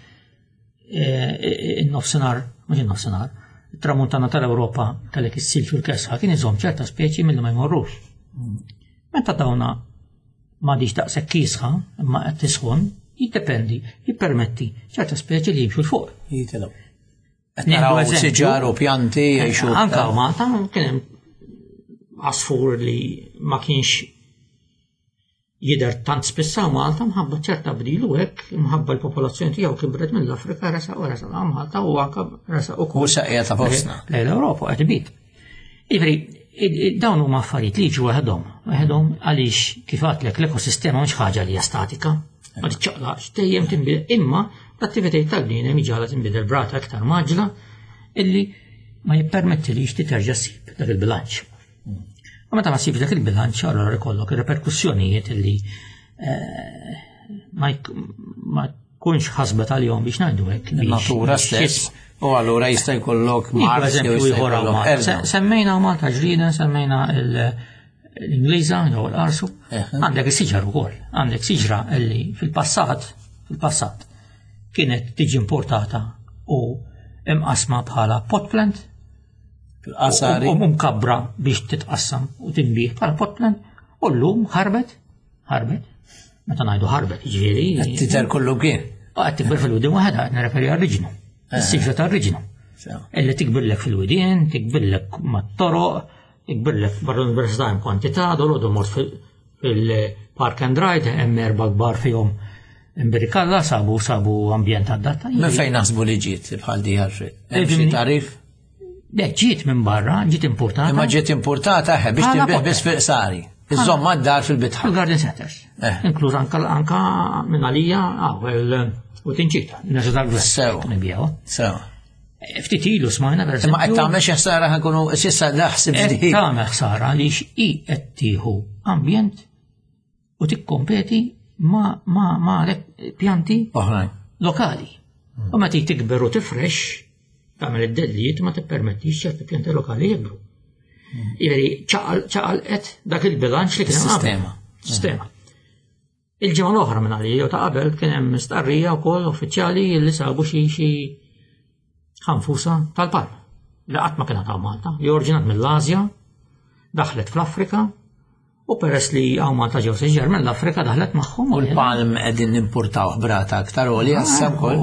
in-nofsinhar, mhux in-nofsinhar, it-tramuntana tal-Ewropa kellek is-silġ u l-kesħa kien iżomm ċerta speċi milli ma jmorrux. Meta dawna m'għadix daqshekk kiesħa imma qed tisħon, jiddependi, jippermetti ċerta speċi li jimxu 'l fuq. Jitilgħu. Qed naraw siġar u pjanti jgħixu. Anka Malta kien hemm għasfur li ma kienx jidher tant spissa Malta mħabba ċerta bdil u hekk mħabba l-popolazzjoni tiegħu kibret mill-Afrika resa u resa Malta u anka resa u saqija ta' fostna. Lejn l-Ewropa qed ibit. Jiġifieri dawn huma affarijiet li jiġu waħedhom, waħedhom għaliex kif għedtlek l-ekosistema mhux ħaġa li hija statika, ma tiċċaqlaqx dejjem tinbidel, imma l-attivitajiet tal-bniedem iġagħalha tinbidel b'rata aktar mgħaġġla illi ma jippermettilix li terġa' ssib dak il-bilanċ. U meta ma ssibx dak il-bilanċ, allora ikollok ir-reperkussjonijiet illi ma jkunx ħasbet għalihom biex ngħidu hekk. Natura stess. U allura jista' jkollok mard jew jista' jkollok. Semmejna Malta ġrida, semmejna l-Ingliża jew l-Arsu. Għandek is-siġar ukoll. Għandek siġra illi fil-passat, fil-passat kienet tiġi importata u imqasma bħala pot plant. Fil-qasari. U mkabbra biex titqassam u tinbih bħala pot plant. U llum ħarbet, ħarbet. Meta ngħidu ħarbet, ġifieri. Qed tidher kollu kien. U qed tikber fil-widien waħedha, qed nirreferi għar-riġnu. Is-siġra tar-riġnu. Illi tikbirlek fil-widien, tikbirlek mat-toroq, tikbirlek barra l-università hemm kwantità, dolodu mort fil-park and ride, hemm erba' kbar fihom imbirikalla, sabu sabu ambjent adatta. Minn fejn naħsbu li ġiet bħal di Alfred? Hemm xi tarif? Le, ġiet minn barra, ġiet importata. Imma ġiet importata eħe biex tinbih biss fil-qsari. Iżomm mad-dar fil-bitħa. Fil-garden centers. Inkluż anka anka minn għalija għaw u tinċita. Nerġa' tal-gvern. Sew. Sew. Ftit ilu smajna per Imma qed tagħmel xi ħsara ħankunu s'issa naħseb ġdid. Tagħmel ħsara għaliex hi qed tieħu ambjent u tikkompeti ma ma ma pjanti oħrajn lokali. U meta tikber u tifrex tagħmel id-dellijiet ma tippermettix ċerti pjanti lokali jikbru. Jiġifieri ċaqalqet dak il-bilanċ li kien Sistema. Sistema. Il-ġimgħa l-oħra minn għalija jew ta' qabel kien hemm stqarrija wkoll uffiċjali li sabu xi xi ħanfusa tal-palm li qatt ma kienet hawn Malta, li oriġinat mill-Asja, daħlet fl-Afrika, u peress li hawn Malta ġew siġar mill-Afrika daħlet magħhom. U l-palm qegħdin nimportaw b'rata aktar għolja issa wkoll.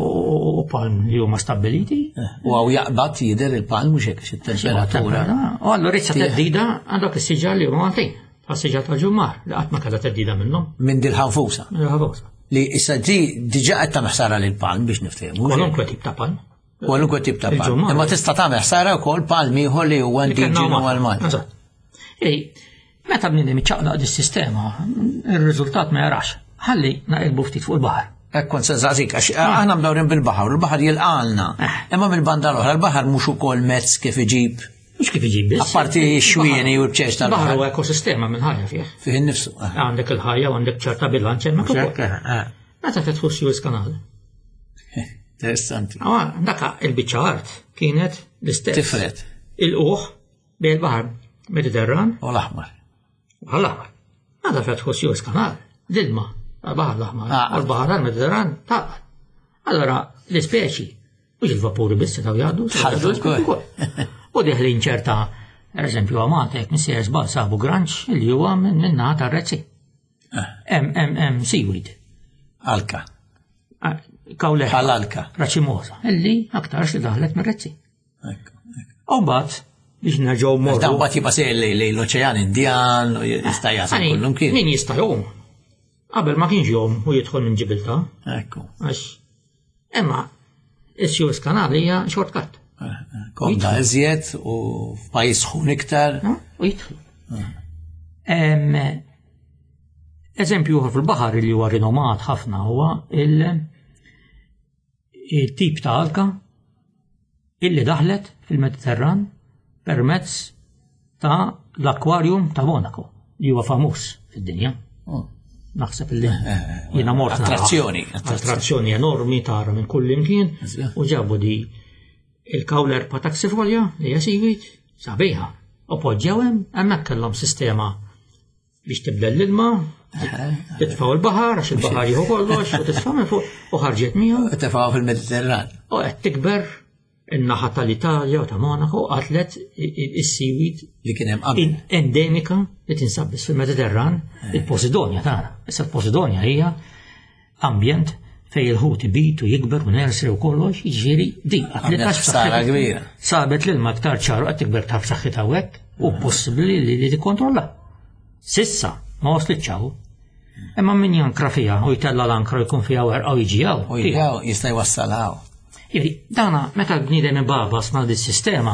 U palm li huma stabbiliti. U hawn jaqbad jidher il-palm mhux hekk it-temperatura. U allura issa theddida għandek is-siġar li huma Maltin, bħas-siġar tal-ġummar li qatt ma kellha theddida minnhom. Minn dil-ħanfusa. Minn dil-ħanfusa. Li issa di diġà qed tagħmel ħsara lil palm biex niftehmu. Kwalunkwe tip ta' palm. Kwalunkwe tip ta' palm. Imma tista' tagħmel ħsara wkoll palm ieħor li huwa indiġenu għal Malta. Eżatt. Meta bniedem iċċaqlaq dis-sistema, ir-riżultat ma jarax. Ħalli naqilbu ftit fuq il-baħar. Hekk kont se nsaqsik, għax aħna mdawrin bil-baħar, u l-baħar jilqalna. Imma mill-banda l-oħra, l-baħar mhux ukoll mezz kif iġib. Mhux kif iġib biss. Apparti x-xwieni u l-bċeċ tal-baħar. Baħar huwa ekosistema minn ħajja fih. Fih innifsu. Għandek il-ħajja u għandek ċerta bilanċ hemmhekk ukoll. Meta fetħu Suez Canal. Interessanti. Daka il-biċċa art kienet l-istess. Tifret. Il-uħ bejn il-baħar Mediterran. U l-Aħmar. Għal-Aħmar. Meta fetħu Suez Canal, l-ilma għal-baħar l-Aħmar u l-baħar tal-Mediterran taqgħad. Allora l-ispeċi mhux il-vapuri biss setgħu jgħaddu, Ħaddu wkoll. U deħlin ċerta, per eżempju, Malta jekk missier żball sabu granċ li huwa minn naħa tar-Rezzi. Hemm hemm hemm seaweed. Alka. Kawle. Bħal alka. Raċimosa, illi aktarx li daħlet mir-Rezzi. U mbagħad biex nerġgħu morru. Dan mbagħad jibqa' sejjer lejn l-Oċean Indjan u jista' jasal kullum kien. Min jista' jgħum. Qabel ma kienx jgħum u jidħol minn Ġibiltà. Ekku. Għax imma is-Suez Canal hija shortcut. Komda iżjed u f'pajjiż sħun iktar. U jidħlu. Eżempju ieħor fil-baħar li huwa rinomat ħafna huwa il-tip ta' alka illi daħlet fil-Mediterran permezz ta' l-akwarjum ta' Monaco li huwa famuż fid-dinja. Naħseb illi jiena mort Attrazzjoni, attrazzjoni enormi tara minn kull imkien u ġabu di il-Caulerpa taxifolia li hija seaweed sabiħa. U poġġew hemm hemmhekk kellhom sistema biex tibdel l-ilma, Titfgħu l-baħar, għax il-baħar jieħu kollox, u titfa' minn fuq u ħarġet miegħu. U tefgħu fil-Mediterran. U qed tikber in-naħa tal-Italja u ta' Monaco qatlet is-seaweed li kien hemm qabel. Endemika li tinsab biss fil-Mediterran, il-Posidonia tagħna. Issa l-Posidonia hija ambjent fej il-ħut ibit u jikber u nursery u kollox, jiġifieri di qatlet Għamlet ħsara kbira. Sabet l-ilma aktar ċaru qed tikber taf saħħitha hekk u possibbli li li tikkontrolla. Sissa ma waslitx hawn. Imma min jankra fiha u jtella l-ankra u jkun fiha werqa u jiġi hawn. U jgħu jista' jwassalhaw. Jiġifieri, dana meta l-bniedem ibabas ma' dis-sistema,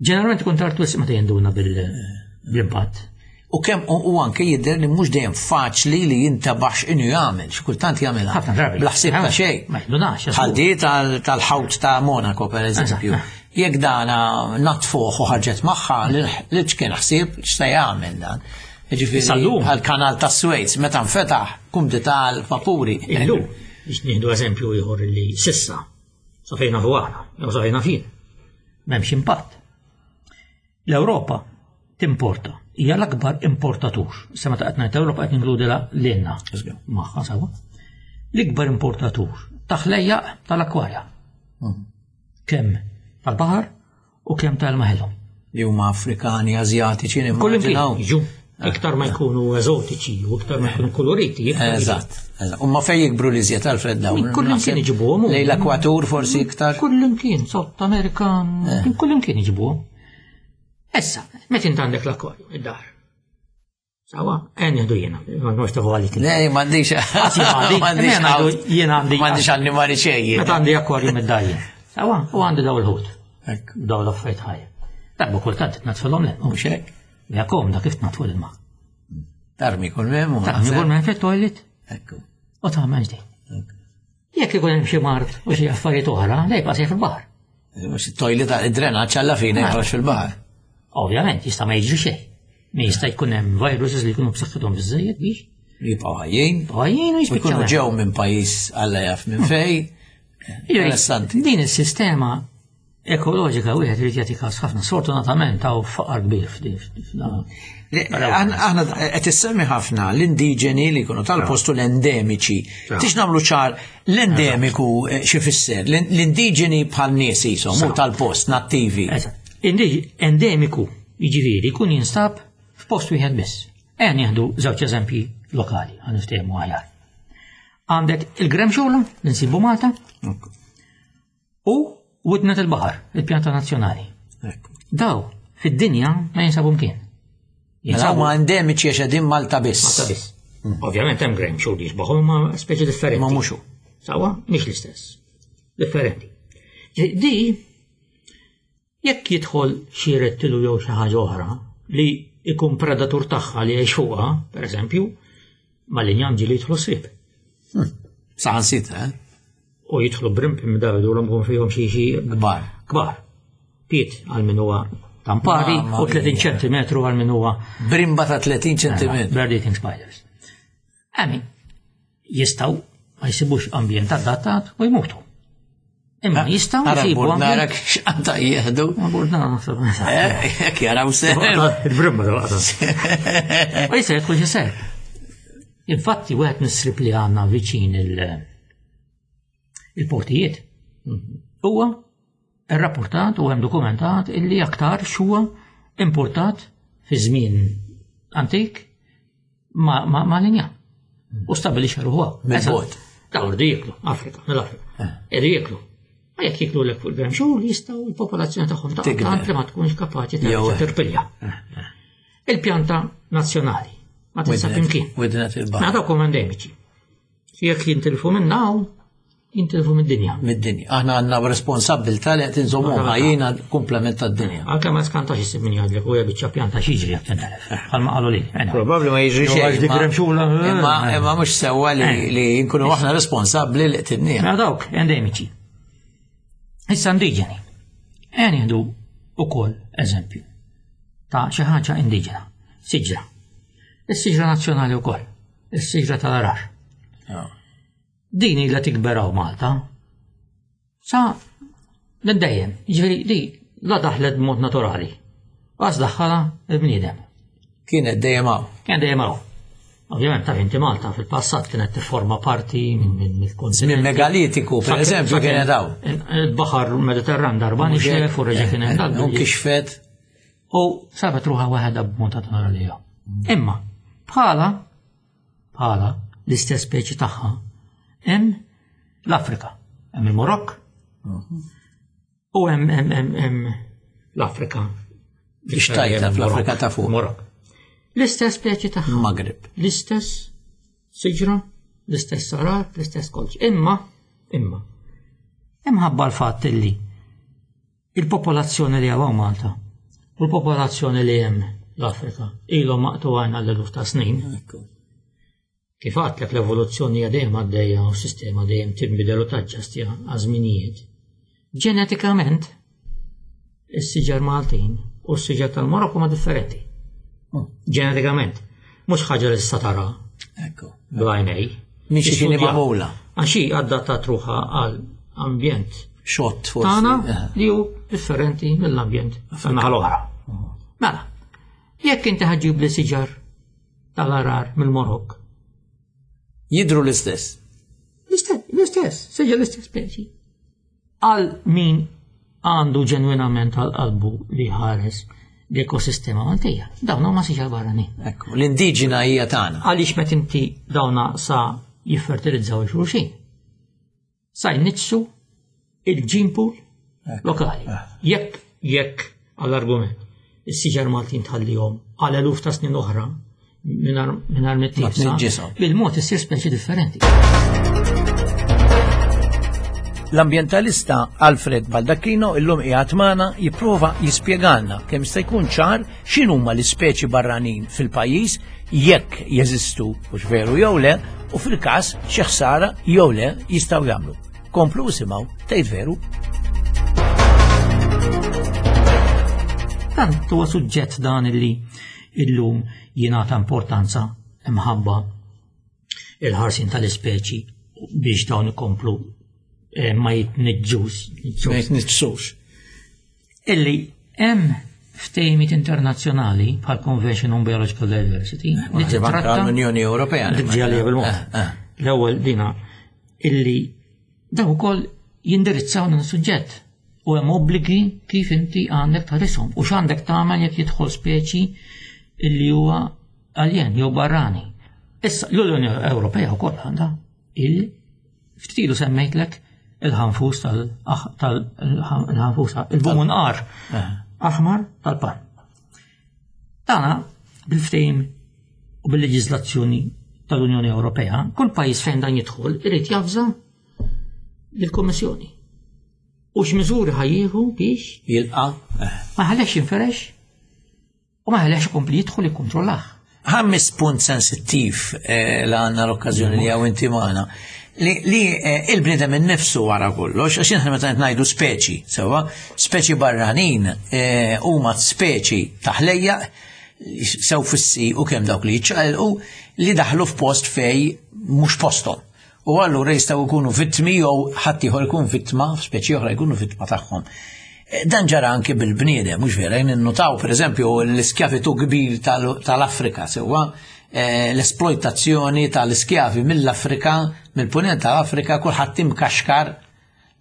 ġeneralment ikun tard wisq meta jinduna bil-impatt. U kemm u u anke jidher li mhux dejjem faċli li jintabax inhu jagħmel, xi kultant jagħmilha. Ħafna drabi. Bla ħsieb ta' xejn. Ma jindunax. Bħal di tal- tal-ħawt ta' Monaco per eżempju. Jekk dana natfuħ u ħarġet magħha li kien ħsieb x'se jagħmel dan. Jiġifieri Sal-lum. għall-kanal ta' Suez meta nfetaħ kumdità l-vapuri. Illum, biex nieħdu eżempju ieħor li sissa, sa fejn nafu aħna, jew sa fejn nafin, m'hemmx impatt. L-Ewropa timporta, hija l-akbar importatur. Issa meta qed ngħid Ewropa qed ninkludi lilna magħha sewwa. L-ikbar importatur ta' ħlejjaq tal-akwarja. Kemm tal-baħar u kemm tal-maħelu. Li huma Afrikani, Azjatiċi, Kull imkien nimmaġinaw. jiġu. Iktar ma jkunu eżotiċi u iktar ma jkunu koloriti. iktar jiġu. Eżatt, eżatt. U ma fej jikbru li żjed Alfred dawn. Kull imkien iġibuhom. Lejn l-ekwatur forsi iktar. Kull imkien, South America, kull imkien iġibuhom. Issa, meta int għandek l-akwarju, id-dar. Sawa, għen nieħdu jiena, ma nux tafu għalik. Le, m'għandix. għandi, M'għandix jena ħawt. jena għandi. M'għandix annimali xejn. Meta għandi akwarju mid-dajjen. Sawa, u għandi daw il-ħut. Ekku. Daw l-affarijiet ħajja. Darba kultant tnatfilhom l Mhux hekk. Ja komda kif tnatfu l-ilma. Tarmi kull mem. u Tarmi kull mem fit-toilet Ekku. u tagħmel ġdid. Jekk ikun hemm xi mard u xi affarijiet oħra, le jibqa' sejjer fil-baħar. Mhux it-toilet id-drenaġġ alla fine joħroġ fil-baħar. Ovvjament, jista' ma jiġri xejn. Mi jista' jkun hemm viruses li jkunu b'saħħithom biżżejjed biex Jibqgħu ħajjin. ħajjin u U jkunu jispiċċaw. ġew minn pajjiż alla jaf minn fej. Interessanti. Din is-sistema ekoloġika wieħed irid jagħti każ ħafna. Sfortunatament hawn faqar kbir f'din. f'dan. Aħna aħna qed issemmi ħafna l-indiġeni li jkunu tal-postu l-endemiċi. Tix nagħmlu ċar l-endemiku eh, xi fisser? L-indiġeni bħal nies jisom, u tal-post nattivi. Eżatt. Indi- Endemiku jiġifieri jkun jinstab f'post wieħed biss. Ejja nieħdu żewġ eżempji lokali ħa niftehmu aħjar. Għandek il-gremxula li nsibu Malta u widnet il-baħar, il-pjanta nazzjonali. Ekku. Daw fid-dinja ma jinsabu mkien. Mela huma endemiċi għax qegħdin Malta biss. Malta biss. Ovvjament hemm gremxul li jixbaħu ma speċi differenti. Ma mhux hu. Sawa, mhix l-istess. Differenti. Di, jekk jidħol xi rettilu jew xi ħaġa oħra li ikun predatur tagħha li jgħix fuqha, pereżempju, mal-injam ġieli jidħlu srib. Saħansitra, eh? U jidħlu brimp imdawidu l kun fihom xi xi Kbar. kbar. Piet għal min huwa tampari Mamma u tletin mia. ċentimetru għal min huwa Brimba ta' tletin ċentimetru. Bird eating spiders. Għami, jistaw ma jsibux ambjent adattat u jmutu. Imma jistaw Ara jsibu burdnara ambjent. x'għandha jieħdu. Ma burdnara naħseb. Eh, Jekk jaraw sew. Il-brimba da waqta. U jista' jidħol xi ser. Infatti, wieħed mis-srib li għandna viċin il- il-portijiet huwa rrapportat u hemm dokumentat illi aktar huwa importat fi żmien antik ma, ma, ma linja. U stabilixxa ruħu. Mill-bogħod. Daw irdu jieklu, Afrika, mill-Afrika. Irdu jieklu. Ma jekk jieklu lek fuq il-gremxul jistgħu l-popolazzjoni tagħhom ta' Tikber. tant li ma tkunx kapaċi Jew terġa' hekk. tirpilja. Il-pjanta nazzjonali ma tinsab imkien. Widnet Ma il-baħar. dawk huma endemiċi. Jekk jintilfu minn hawn, jintilfu mid-dinja. Mid-dinja. Aħna għandna responsabbiltà li qed inżommu ħajjina komplement tad-dinja. Anke ma skantax issib min jgħidlek u hija biċċa pjanta xiġri jekk tintelef. Bħalma qalu li. Probabbli ma jiġri Jew xejn. għax dik ma- remxula, eh, Imma eh. imma mhux sewwa li li nkunu aħna responsabbli li qtilniha. Ma dawk endemiċi. Issa indiġeni. Ejja nieħdu ukoll eżempju ta' xi ħaġa indiġena, siġra. Is-siġra nazzjonali wkoll, is-siġra tal-arar. Din ilha tikber hawn Malta. Sa minn dejjem, jiġifieri di la daħlet b'mod naturali. Għas daħħala il-bniedem. Kienet dejjem hawn. Kien dejjem hawn. Ovvjament taf inti Malta fil-passat kienet tifforma parti minn mill-kontinent. Minn megalitiku, per eżempju, kienet hawn. Il-baħar Mediterran darba nixef u reġa' kien hemm. U kixfet. U sabet ruħha waħedha b'mod naturali. Imma bħala bħala l-istess speċi tagħha hemm l-Afrika, hemm il-Marokk u hemm hemm hemm l-Afrika. Ixtajta fl-Afrika ta' fuq. Marokk. L-istess speċi tagħha. Magrib. L-istess siġra, l-istess sarar, l-istess kolċ. Imma, imma, imħabba l-fatt illi il-popolazzjoni li hawn Malta u l-popolazzjoni li hemm l-Afrika ilhom maqtugħin għall-eluf ta' snin. Kif għedtlek l-evoluzzjoni hija dejjem għaddejja u s-sistema dejjem tinbidel u taġġastja għaż-żminijiet. Ġenetikament, is-siġar Maltin u s-siġar tal-Marokk huma differenti. Ġenetikament. Mhux ħaġa li issa tara. Ekku. Bl-għajnej. Mhix xi kien magħmula. Għax hi adattat ruħha għal ambjent Xott forsi. tagħna li hu differenti mill-ambjent tan-naħa l-oħra. Mela, jekk inti ħaġġib li siġar tal-arar mill-Marokk. Jidru l-istess. L-istess, l-istess, siġar l-istess speċi. Għal min għandu ġenwinament għal qalbu li ħares l-ekosistema Maltija. Dawn huma siġar barranin. Ekku, l-indiġena hija tagħna. Għaliex meta inti dawna sa jiffertilizzaw xulxin. Sa jniġġsu il-gene pool lokali. Jekk jekk għall-argument is-siġar Maltin tħallihom għal eluf ta' snin oħra mingħajr Ma tniġġishom. bil-mod issir speċi differenti. L-ambientalista Alfred Baldacchino illum qiegħed magħna jipprova jispjegalna kemm jista' jkun ċar x'inhuma l-ispeċi barranin fil-pajjiż jekk jeżistu hux veru jew le u fil-każ xi ħsara jew le jistgħu jagħmlu. Komplu isimgħu tgħid veru. Tant huwa suġġett dan illi illum jingħata importanza imħabba il-ħarsin tal-ispeċi biex dawn ikomplu eh, ma jitniġġux. Ma jitniġġsux. Illi hemm ftehimiet internazzjonali bħal Convention on Biological Diversity li titratta l-Unjoni Ewropea. Dik ġalija bil-mod. Eh, eh. L-ewwel dina illi daw ukoll jindirizzaw dan is-suġġett u hemm obbligi kif inti għandek tħarishom u x'għandek tagħmel jekk jidħol speċi illi huwa aljen jew barrani. Issa l-Unjoni Ewropea wkoll għandha il ftit ilu semmejtlek il-ħanfus tal-ħanfus il-bumunqar aħmar tal-pan. Dana bil-ftehim u bil-leġiżlazzjoni tal-Unjoni Ewropea, kull pajjiż fejn dan jidħol irid javża lill-Kummissjoni. U x'miżuri ħa jieħu biex Jilqa. ma ħallex jinferex u ma ħallex ikompli jidħol jikkontrollah. Ħammis punt sensittiv eh, la għandna l-okkażjoni li hawn inti magħna. Li, li eh, il-bniedem innifsu wara kollox, għax aħna meta ngħidu speċi, sewwa, speċi barranin eh, huma speċi taħlejja sew fissi u kemm dawk li jiċċaqilqu li daħlu f'post fej mhux posthom. U allura jistgħu jkunu vittmi jew ħadd ieħor ikun vittma, speċi oħra jkunu vittma tagħhom. Dan ġara anke bil-bniedem, mhux vera, jien innotaw pereżempju l-iskjavitu kbir tal-Afrika, sewwa l-esploitazzjoni tal-iskjavi mill-Afrika, mill-punent tal-Afrika, kulħadd imkaxkar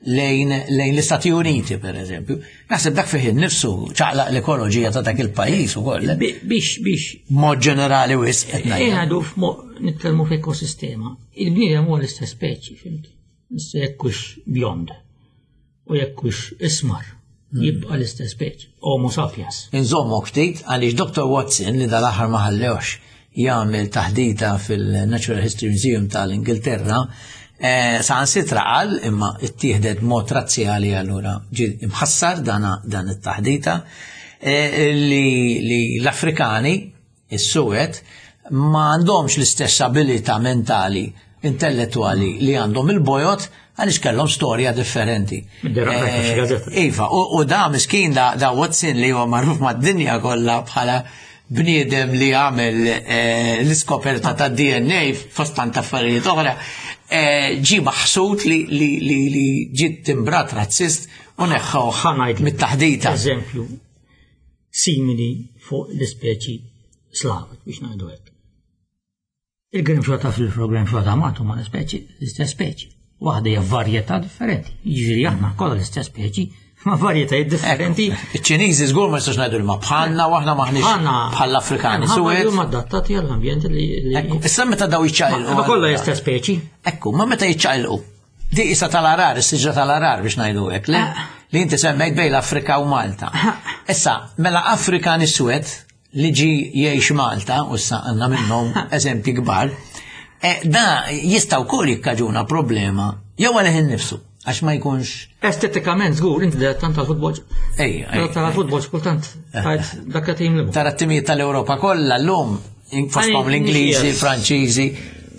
lejn lejn l-Istati Uniti pereżempju. Naħseb dak fih innifsu ċaqlaq l-ekoloġija ta' dak il-pajjiż ukoll. Biex biex Mod ġenerali wisq qed ngħid. Ngħidu nitkellmu f'ekosistema. Il-bniedem huwa l-istess speċi, fhimt? Issa jekk hux bjond u jekk hux ismar, jibqa' l-istess speċi, Homo sapiens. Inżommok ftit għaliex Doctor Watson li dal-aħħar ma ħallewx jagħmel taħdita fil-Natural History Museum tal-Ingilterra, eh, saħansitra qal imma ittieħdet mod razzjali allura ġie imħassar dana dan it-taħdita eh, li, li l-Afrikani, is-Suwed, ma għandhomx l-istess abilità mentali, intellettuali li għandhom il-bojod għaliex kellhom storja differenti. Id-dera rajta xi gazzetta. Iva, u, u da miskin da, da Watson li huwa magħruf mad-dinja kollha bħala bniedem li għamel eh, l-iskoperta ta' D N A fost tant affarijiet oħra, eh, ġie maħsud li, li, li, li ġiet timbrat razzist u neħħew Ħa ngħidlek mit-taħdita. Eżempju simili fuq l-ispeċi slavi biex ngħidu hekk. Il-grimxota fil-grimxota Malta huma l-ispeċi, l-istess speċi. Waħda hija varjetà differenti. Jiġifieri aħna kollha l-istess speċi, ma varjetajiet differenti. Iċ-Ċiniżi żgur ma jistax ngħidu li ma bħalna u aħna maħniex bħall-Afrikani. Suwed. Huma adattati għall-ambjent li. Issa meta daw jiċċaqilqu. Ma kollha l-istess speċi. Ekku, ma meta jiċċaqilqu. Di issa tal-arar, is-siġra tal-arar biex ngħidu hekk, le? Ah. Li inti semmejt bejn l-Afrika u Malta. Ah. Issa, mela Afrikan iswed li ġi jgħix Malta, u issa għandna minnhom eżempji kbar, eh, da jista' wkoll jikkaġuna problema jew għalih innifsu għax ma jkunx. Estetikament żgur, inti dilettant tal-futbol. Ej, ej. Tal-futbol kultant tajt dak qed jimlibu. Tara t-timijiet tal-Ewropa kollha llum fosthom l-Ingliżi, l-Franċiżi,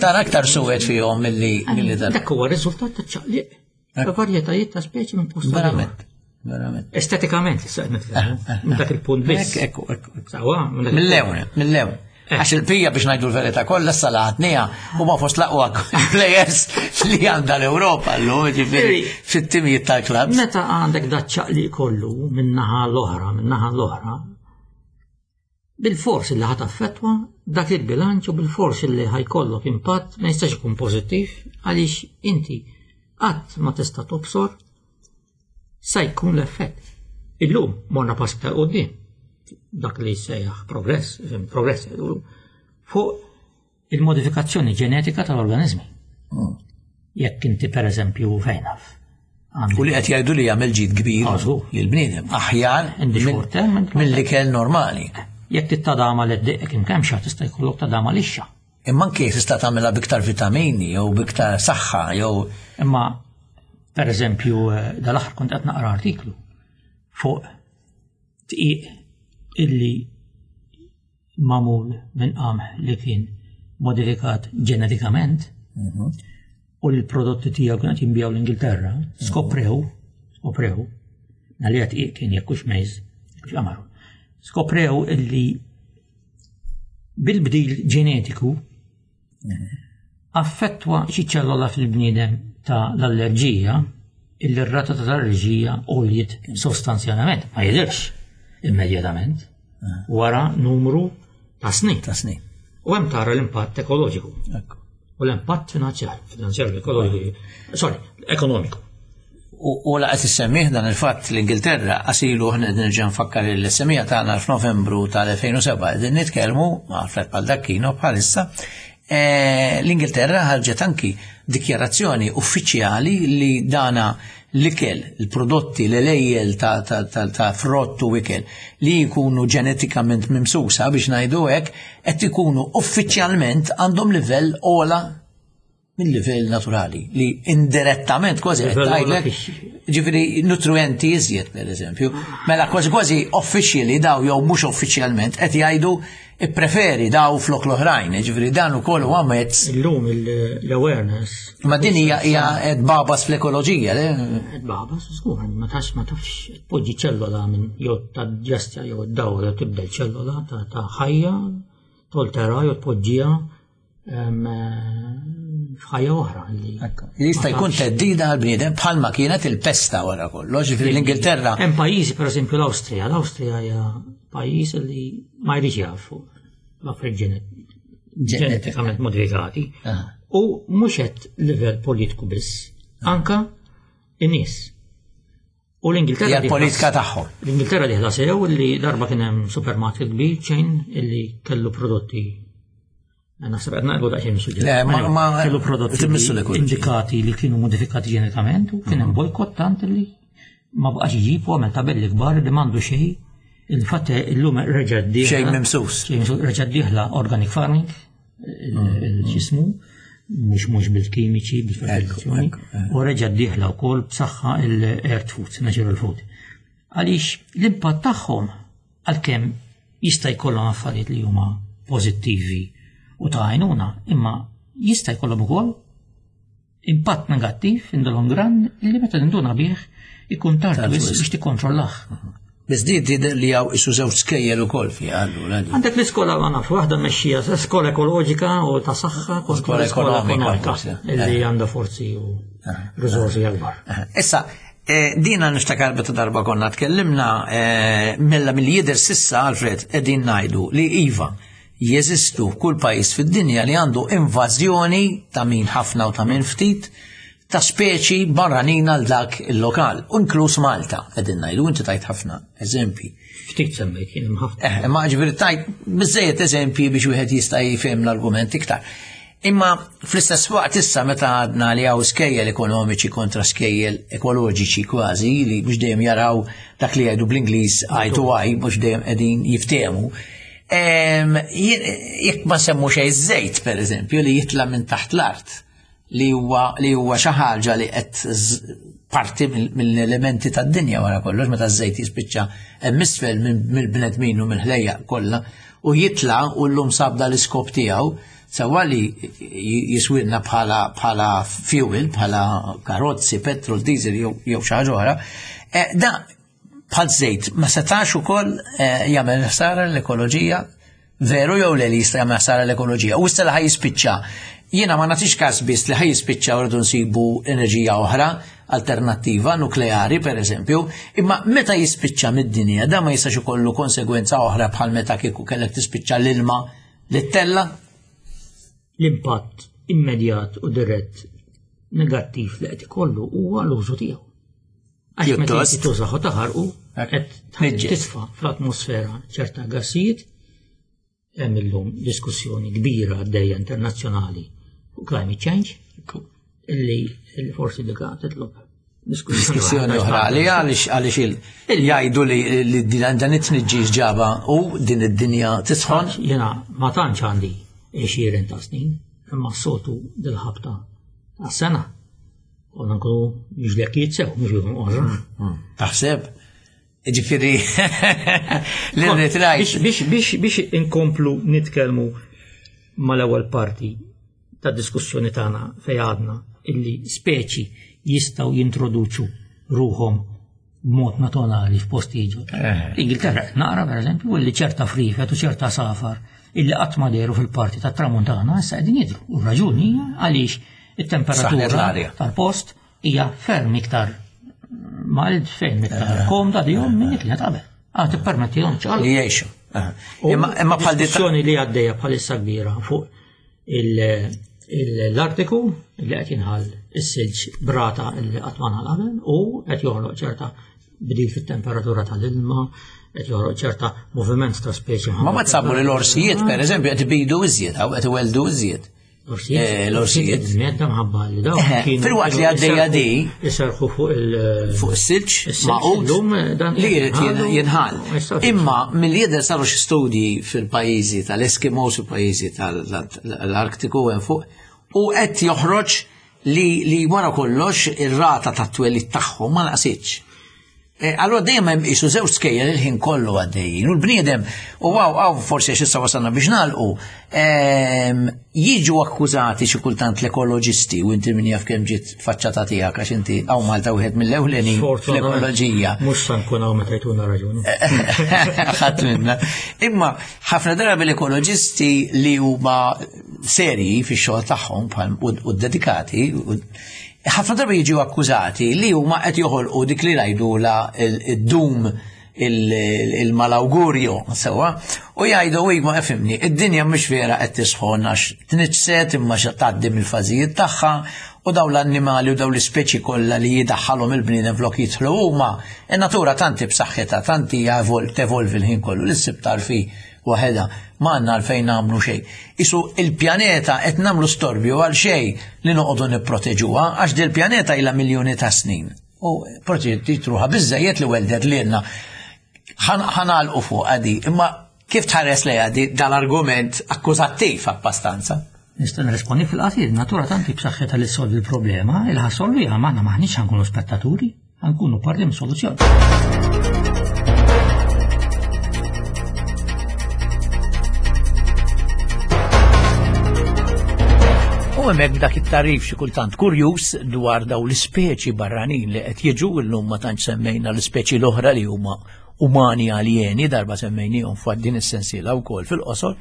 tara aktar suwed fihom milli milli dan. Dak huwa riżultat ta' ċaqliq ta' varjetajiet ta' speċi minn post. Verament. Verament. Estetikament, issa qed nitkellmu. Eh, eh, minn dak il-punt biss. Ekku, ekku. Sawa, mill-lewn, mill-lewn. Eh. Għax il-pija biex ngħidu l-verità kollha s-salatnija huma fost l-aqwa players li għandha l-Ewropa llum, ġifieri fit-timijiet tal-klabs. Meta għandek daċċaq li kollu minn naħa l-oħra, minn naħa l-oħra, bil-fors li ħat affettwa dak il-bilanċ u bil-fors li ħajkollok impatt ma jistax ikun pożittiv għaliex inti qatt ma tista' tobsor sa jkun l-effett. Illum morna pass iktar quddiem dak li jsejjaħ progress, progress fuq il-modifikazzjoni ġenetika tal-organizmi. Hmm. Jekk inti per eżempju fejn naf. U li qed jgħidu li jagħmel ġid kbir lill-bniedem aħjar mill-ikel normali. Jekk tittadama li ddeqek imkemxa tista' jkollok tadama lixxa. Imma anke tista' tagħmilha biktar vitamini jew biktar saħħa jew. Imma per eżempju eh, dal-aħħar kont qed naqra artiklu fuq tqiq illi magħmul minn qamħ li kien modifikat ġenetikament mhm. u l-prodotti tiegħu kien qed jinbiegħu l-Ingilterra, mhm. skoprew, skoprew, għalija tqiq kien jekk hux mejż, hux qamaru. Skoprew illi bil-bdil ġenetiku affettwa xi ċellola fil-bniedem ta' l-allerġija illi r-rata ta' l-allerġija għoljiet sostanzjalment, ma jidirx immedjatament, wara numru ta' snin. Ta' snin. U hemm tara l-impatt ekoloġiku. U l-impatt finanzjarju, finanzjarju ekoloġiku, sorry, ekonomiku. U laqgħet issemmih dan il-fatt l-Ingilterra qasilu aħna qed nerġa' nfakkar il-semija tagħna f'Novembru tal-elfejn u sebgħa qegħdin nitkellmu ma' Alfred Baldacchino bħalissa. Eh, L-Ingilterra ħarġet anki dikjarazzjoni uffiċjali li dana l-ikel, il-prodotti, l-elejjel ta', ta, ta, ta' frott u ikel li jkunu ġenetikament mimsusa biex ngħidu hekk qed ikunu uffiċjalment għandhom livell ogħla mill-livell naturali li indirettament kważi qed tgħidlek ġifieri nutrienti iżjed pereżempju. Mela kważi kważi officially daw jew mhux uffiċjalment qed jgħidu ippreferi daw flok l-oħrajn, ġifieri dan ukoll huwa mezz. Illum l-awareness. Ma din hija hija qed babas fl-ekoloġija, le? Qed babas, żgur, ma tafx ma tafx tpoġġi ċellola minn jew taġġestja jew id-dawra jew tibdel ċellola ta' ħajja toltera jew tpoġġiha f'ħajja oħra. Li jista' jkun theddida għall-bniedem bħalma kienet il-pesta wara kollox, ġifieri l-Ingilterra. Hemm pajjiżi pereżempju l-Awstrija, l-Awstrija hija pajjiż li ma jridx jaf fuq l-affarijiet ġenetikament modifikati. U mhux qed livell politiku biss, anka in-nies. U l-Ingilterra hija l-politika tagħhom. L-Ingilterra diħla sew li darba kien hemm supermarket kbir chain illi kellu prodotti. Naħseb qed naqbu daqsxejn mis-suġġett. Le, ma ma kellu prodotti indikati li kienu modifikati ġenetikament u kien hemm bojkott tant li ma baqax iġib u għamel tabelli kbar li m'għandu xejn. Il-fatt illum reġa' dieħla. Xejn mimsus. Reġa' dieħla organic farming, il-ġismu, mhux mhux bil-kimiċi, bil-fertilizzazzjoni, u reġa' dieħla wkoll b'saħħa l-earth foods, natural food. Għaliex l-impatt tagħhom għalkemm jista' jkollhom affarijiet li huma pożittivi u ta' għajnuna, imma jista' jkollhom ukoll impatt negattiv in the long run li meta tinduna bih ikun tard biex tikkontrollah. Biss di tidher li hawn isu żewġ skejjel ukoll fiha allura. Għandek l-iskola ma naf waħda mexxija skola ekoloġika u ta' saħħa kontra skola ekonomika li għandha forzi u riżorsi akbar. Issa, dina niftakar meta darba konna tkellimna mella milli jidher sissa Alfred qegħdin ngħidu li iva jeżistu f'kull pajjiż fid-dinja li għandu invażjoni ta' min ħafna u ta' min ftit ta' speċi barranin għal dak il-lokal, u inkluż Malta, qegħdin ngħidu, inti tajt ħafna eżempji. Ftit semmejt jien ħafna. Eh, ma ġifieri tajt biżejjed eżempji biex wieħed jista' jifhem l-argument iktar. Imma fl-istess waqt issa meta għadna li hawn skejjel ekonomiċi kontra skejjel ekoloġiċi kważi li mhux dejjem jaraw dak li jgħidu bl-Ingliż eye to eye, mhux dejjem qegħdin jiftehmu. Jekk ma semmu xejn żejt pereżempju li jitla' minn taħt l-art li huwa li huwa xi ħaġa li qed parti mill-elementi tad-dinja wara kollox meta ż-żejt jispiċċa hemm isfel mill-bnedmin u mill-ħlejjaq kollha u jitla' u llum sab l-iskop tiegħu sewa li jiswilna bħala bħala fuel, bħala karozzi, petrol, diesel jew xi ħaġa oħra. Da bħal żejt ma setax ukoll jagħmel ħsara l-ekoloġija, veru jew le li jista' jagħmel ħsara l-ekoloġija. U issa li ħaj jispiċċa. Jiena ma nagħtix każ biss li ħaj jispiċċa u rridu nsibu enerġija oħra alternattiva, nukleari per eżempju, imma meta jispiċċa mid-dinja da ma jistax ikollu konsegwenza oħra bħal meta kieku kellek tispiċċa l-ilma li ttella'. L-impatt immedjat u dirett negattiv li qed ikollu huwa l-użu tiegħu. Għax meta inti tużaħu taħarqu qed tisfa' fl-atmosfera ċerta gassijiet. Hemm illum diskussjoni kbira għaddejja internazzjonali fuq climate change illi forsi dika titlob diskussjoni oħra li għaliex għaliex jgħidu li dan it-tniġġis ġaba u din id-dinja tisħon. Jiena ma tantx għandi għexieren ta' snin, imma s-soltu dil-ħabta ta' sena. Konna nkunu mhux sew, mhux ikun oħra. Taħseb? Ġifieri li rrid Biex biex biex inkomplu nitkellmu mal-ewwel parti ta' diskussjoni tagħna fejn għadna illi speċi jistgħu jintroduċu ruhom b'mod naturali f'postijiet ġodda. L-Ingilterra naqra pereżempju illi ċerta frifet u ċerta safar illi qatt ma dehru fil-parti tat-tramuntana issa qegħdin jidhru. U raġuni hija għaliex it-temperatura tal-post hija ferm iktar mild, ferm iktar komda dihom minn dik li qed qabel. Ah, tippermettihom ċaqalqu. Li jgħixu. Imma bħal diskussjoni li għaddejja bħalissa kbira fuq l-Artiku li qed jinħall is-silġ brata li qatt ma nħall qabel u qed joħloq ċerta bdil fit-temperatura tal-ilma, qed joħloq ċerta moviment ta' speċi. Ma ma tsabu li l-orsijiet pereżempju qed ibidu iżjed hawn qed iweldu iżjed. L-orsijiet. Medda mħabba li dawn. Fil-waqt li għaddejja di. Iserħu fuq il- Fuq is-silġ maqud li jrid jinħall. Imma mill-jidher saru xi studji fil-pajjiżi tal-Eskimos u pajjiżi tal-Artiku hemm fuq u qed joħroġ li wara kollox ir-rata tat-twelid tagħhom ma naqsitx. Allora dejjem hemm qisu żewġ skejjel il-ħin kollu għaddejjin u l-bniedem u għaw għaw forsi għax issa wasalna biex nagħlqu jiġu akkużati xi kultant l-ekoloġisti u inti min jaf kemm ġiet faċċata tiegħek għax inti hawn Malta wieħed mill-ewlenin fl-ekoloġija. Mhux se nkun hawn meta jtuna raġuni. Ħadd minna. Imma ħafna drabi l-ekoloġisti li huma serji fix-xogħol tagħhom u dedikati ħafna drabi jiġu akkużati li huma qed joħolqu dik li ngħidula id-dum il-malawgurju sewwa u jgħidu ma fimni id-dinja mhux vera qed tisħon għax tniġset imma tgħaddi mill-fażijiet tagħha u dawn l-annimali u dawn l-ispeċi kollha li jidaħħalhom il-bniedem flok jidħlu huma in-natura tanti b'saħħitha tanti tevolvi l-ħin kollu li ssib tarfi waħedha ma għandna għalfejn nagħmlu xejn. Isu il-pjaneta qed nagħmlu storbju għal xejn li noqogħdu nipproteġuha għax dil pjaneta ilha miljuni ta' snin. U proteġġiet ruħha biżżejjed li weldet lilna. Ħanalqu fuq għadi, imma kif tħares lejha di dal-argument akkużattiv abbastanza? Nista' nirrispondi fil-qasir, natura tanti b'saħħitha li ssolvi l-problema, il ħassolviha m'aħna maħniex ħankunu spettaturi, ħankunu parti mis-soluzzjoni. U hemmhekk dak it-tarif xi kultant kurjuż dwar daw l-ispeċi barranin li qed jiġu llum ma tantx semmejna l-ispeċi l-oħra li huma umani aljeni darba semmejnihom fuq din is-sensiela wkoll fil-qosor.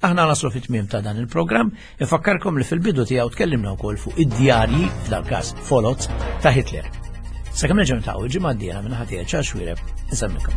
Aħna naslu fit-tmiem ta' dan il-programm, infakkarkom li fil-bidu tiegħu tkellimna wkoll fuq id-djarji f'dal każ folots ta' Hitler. Sakemm nerġgħu niltaqgħu il-ġimgħa d-dieħla minn ħadd Charles Xuereb, insemmikom.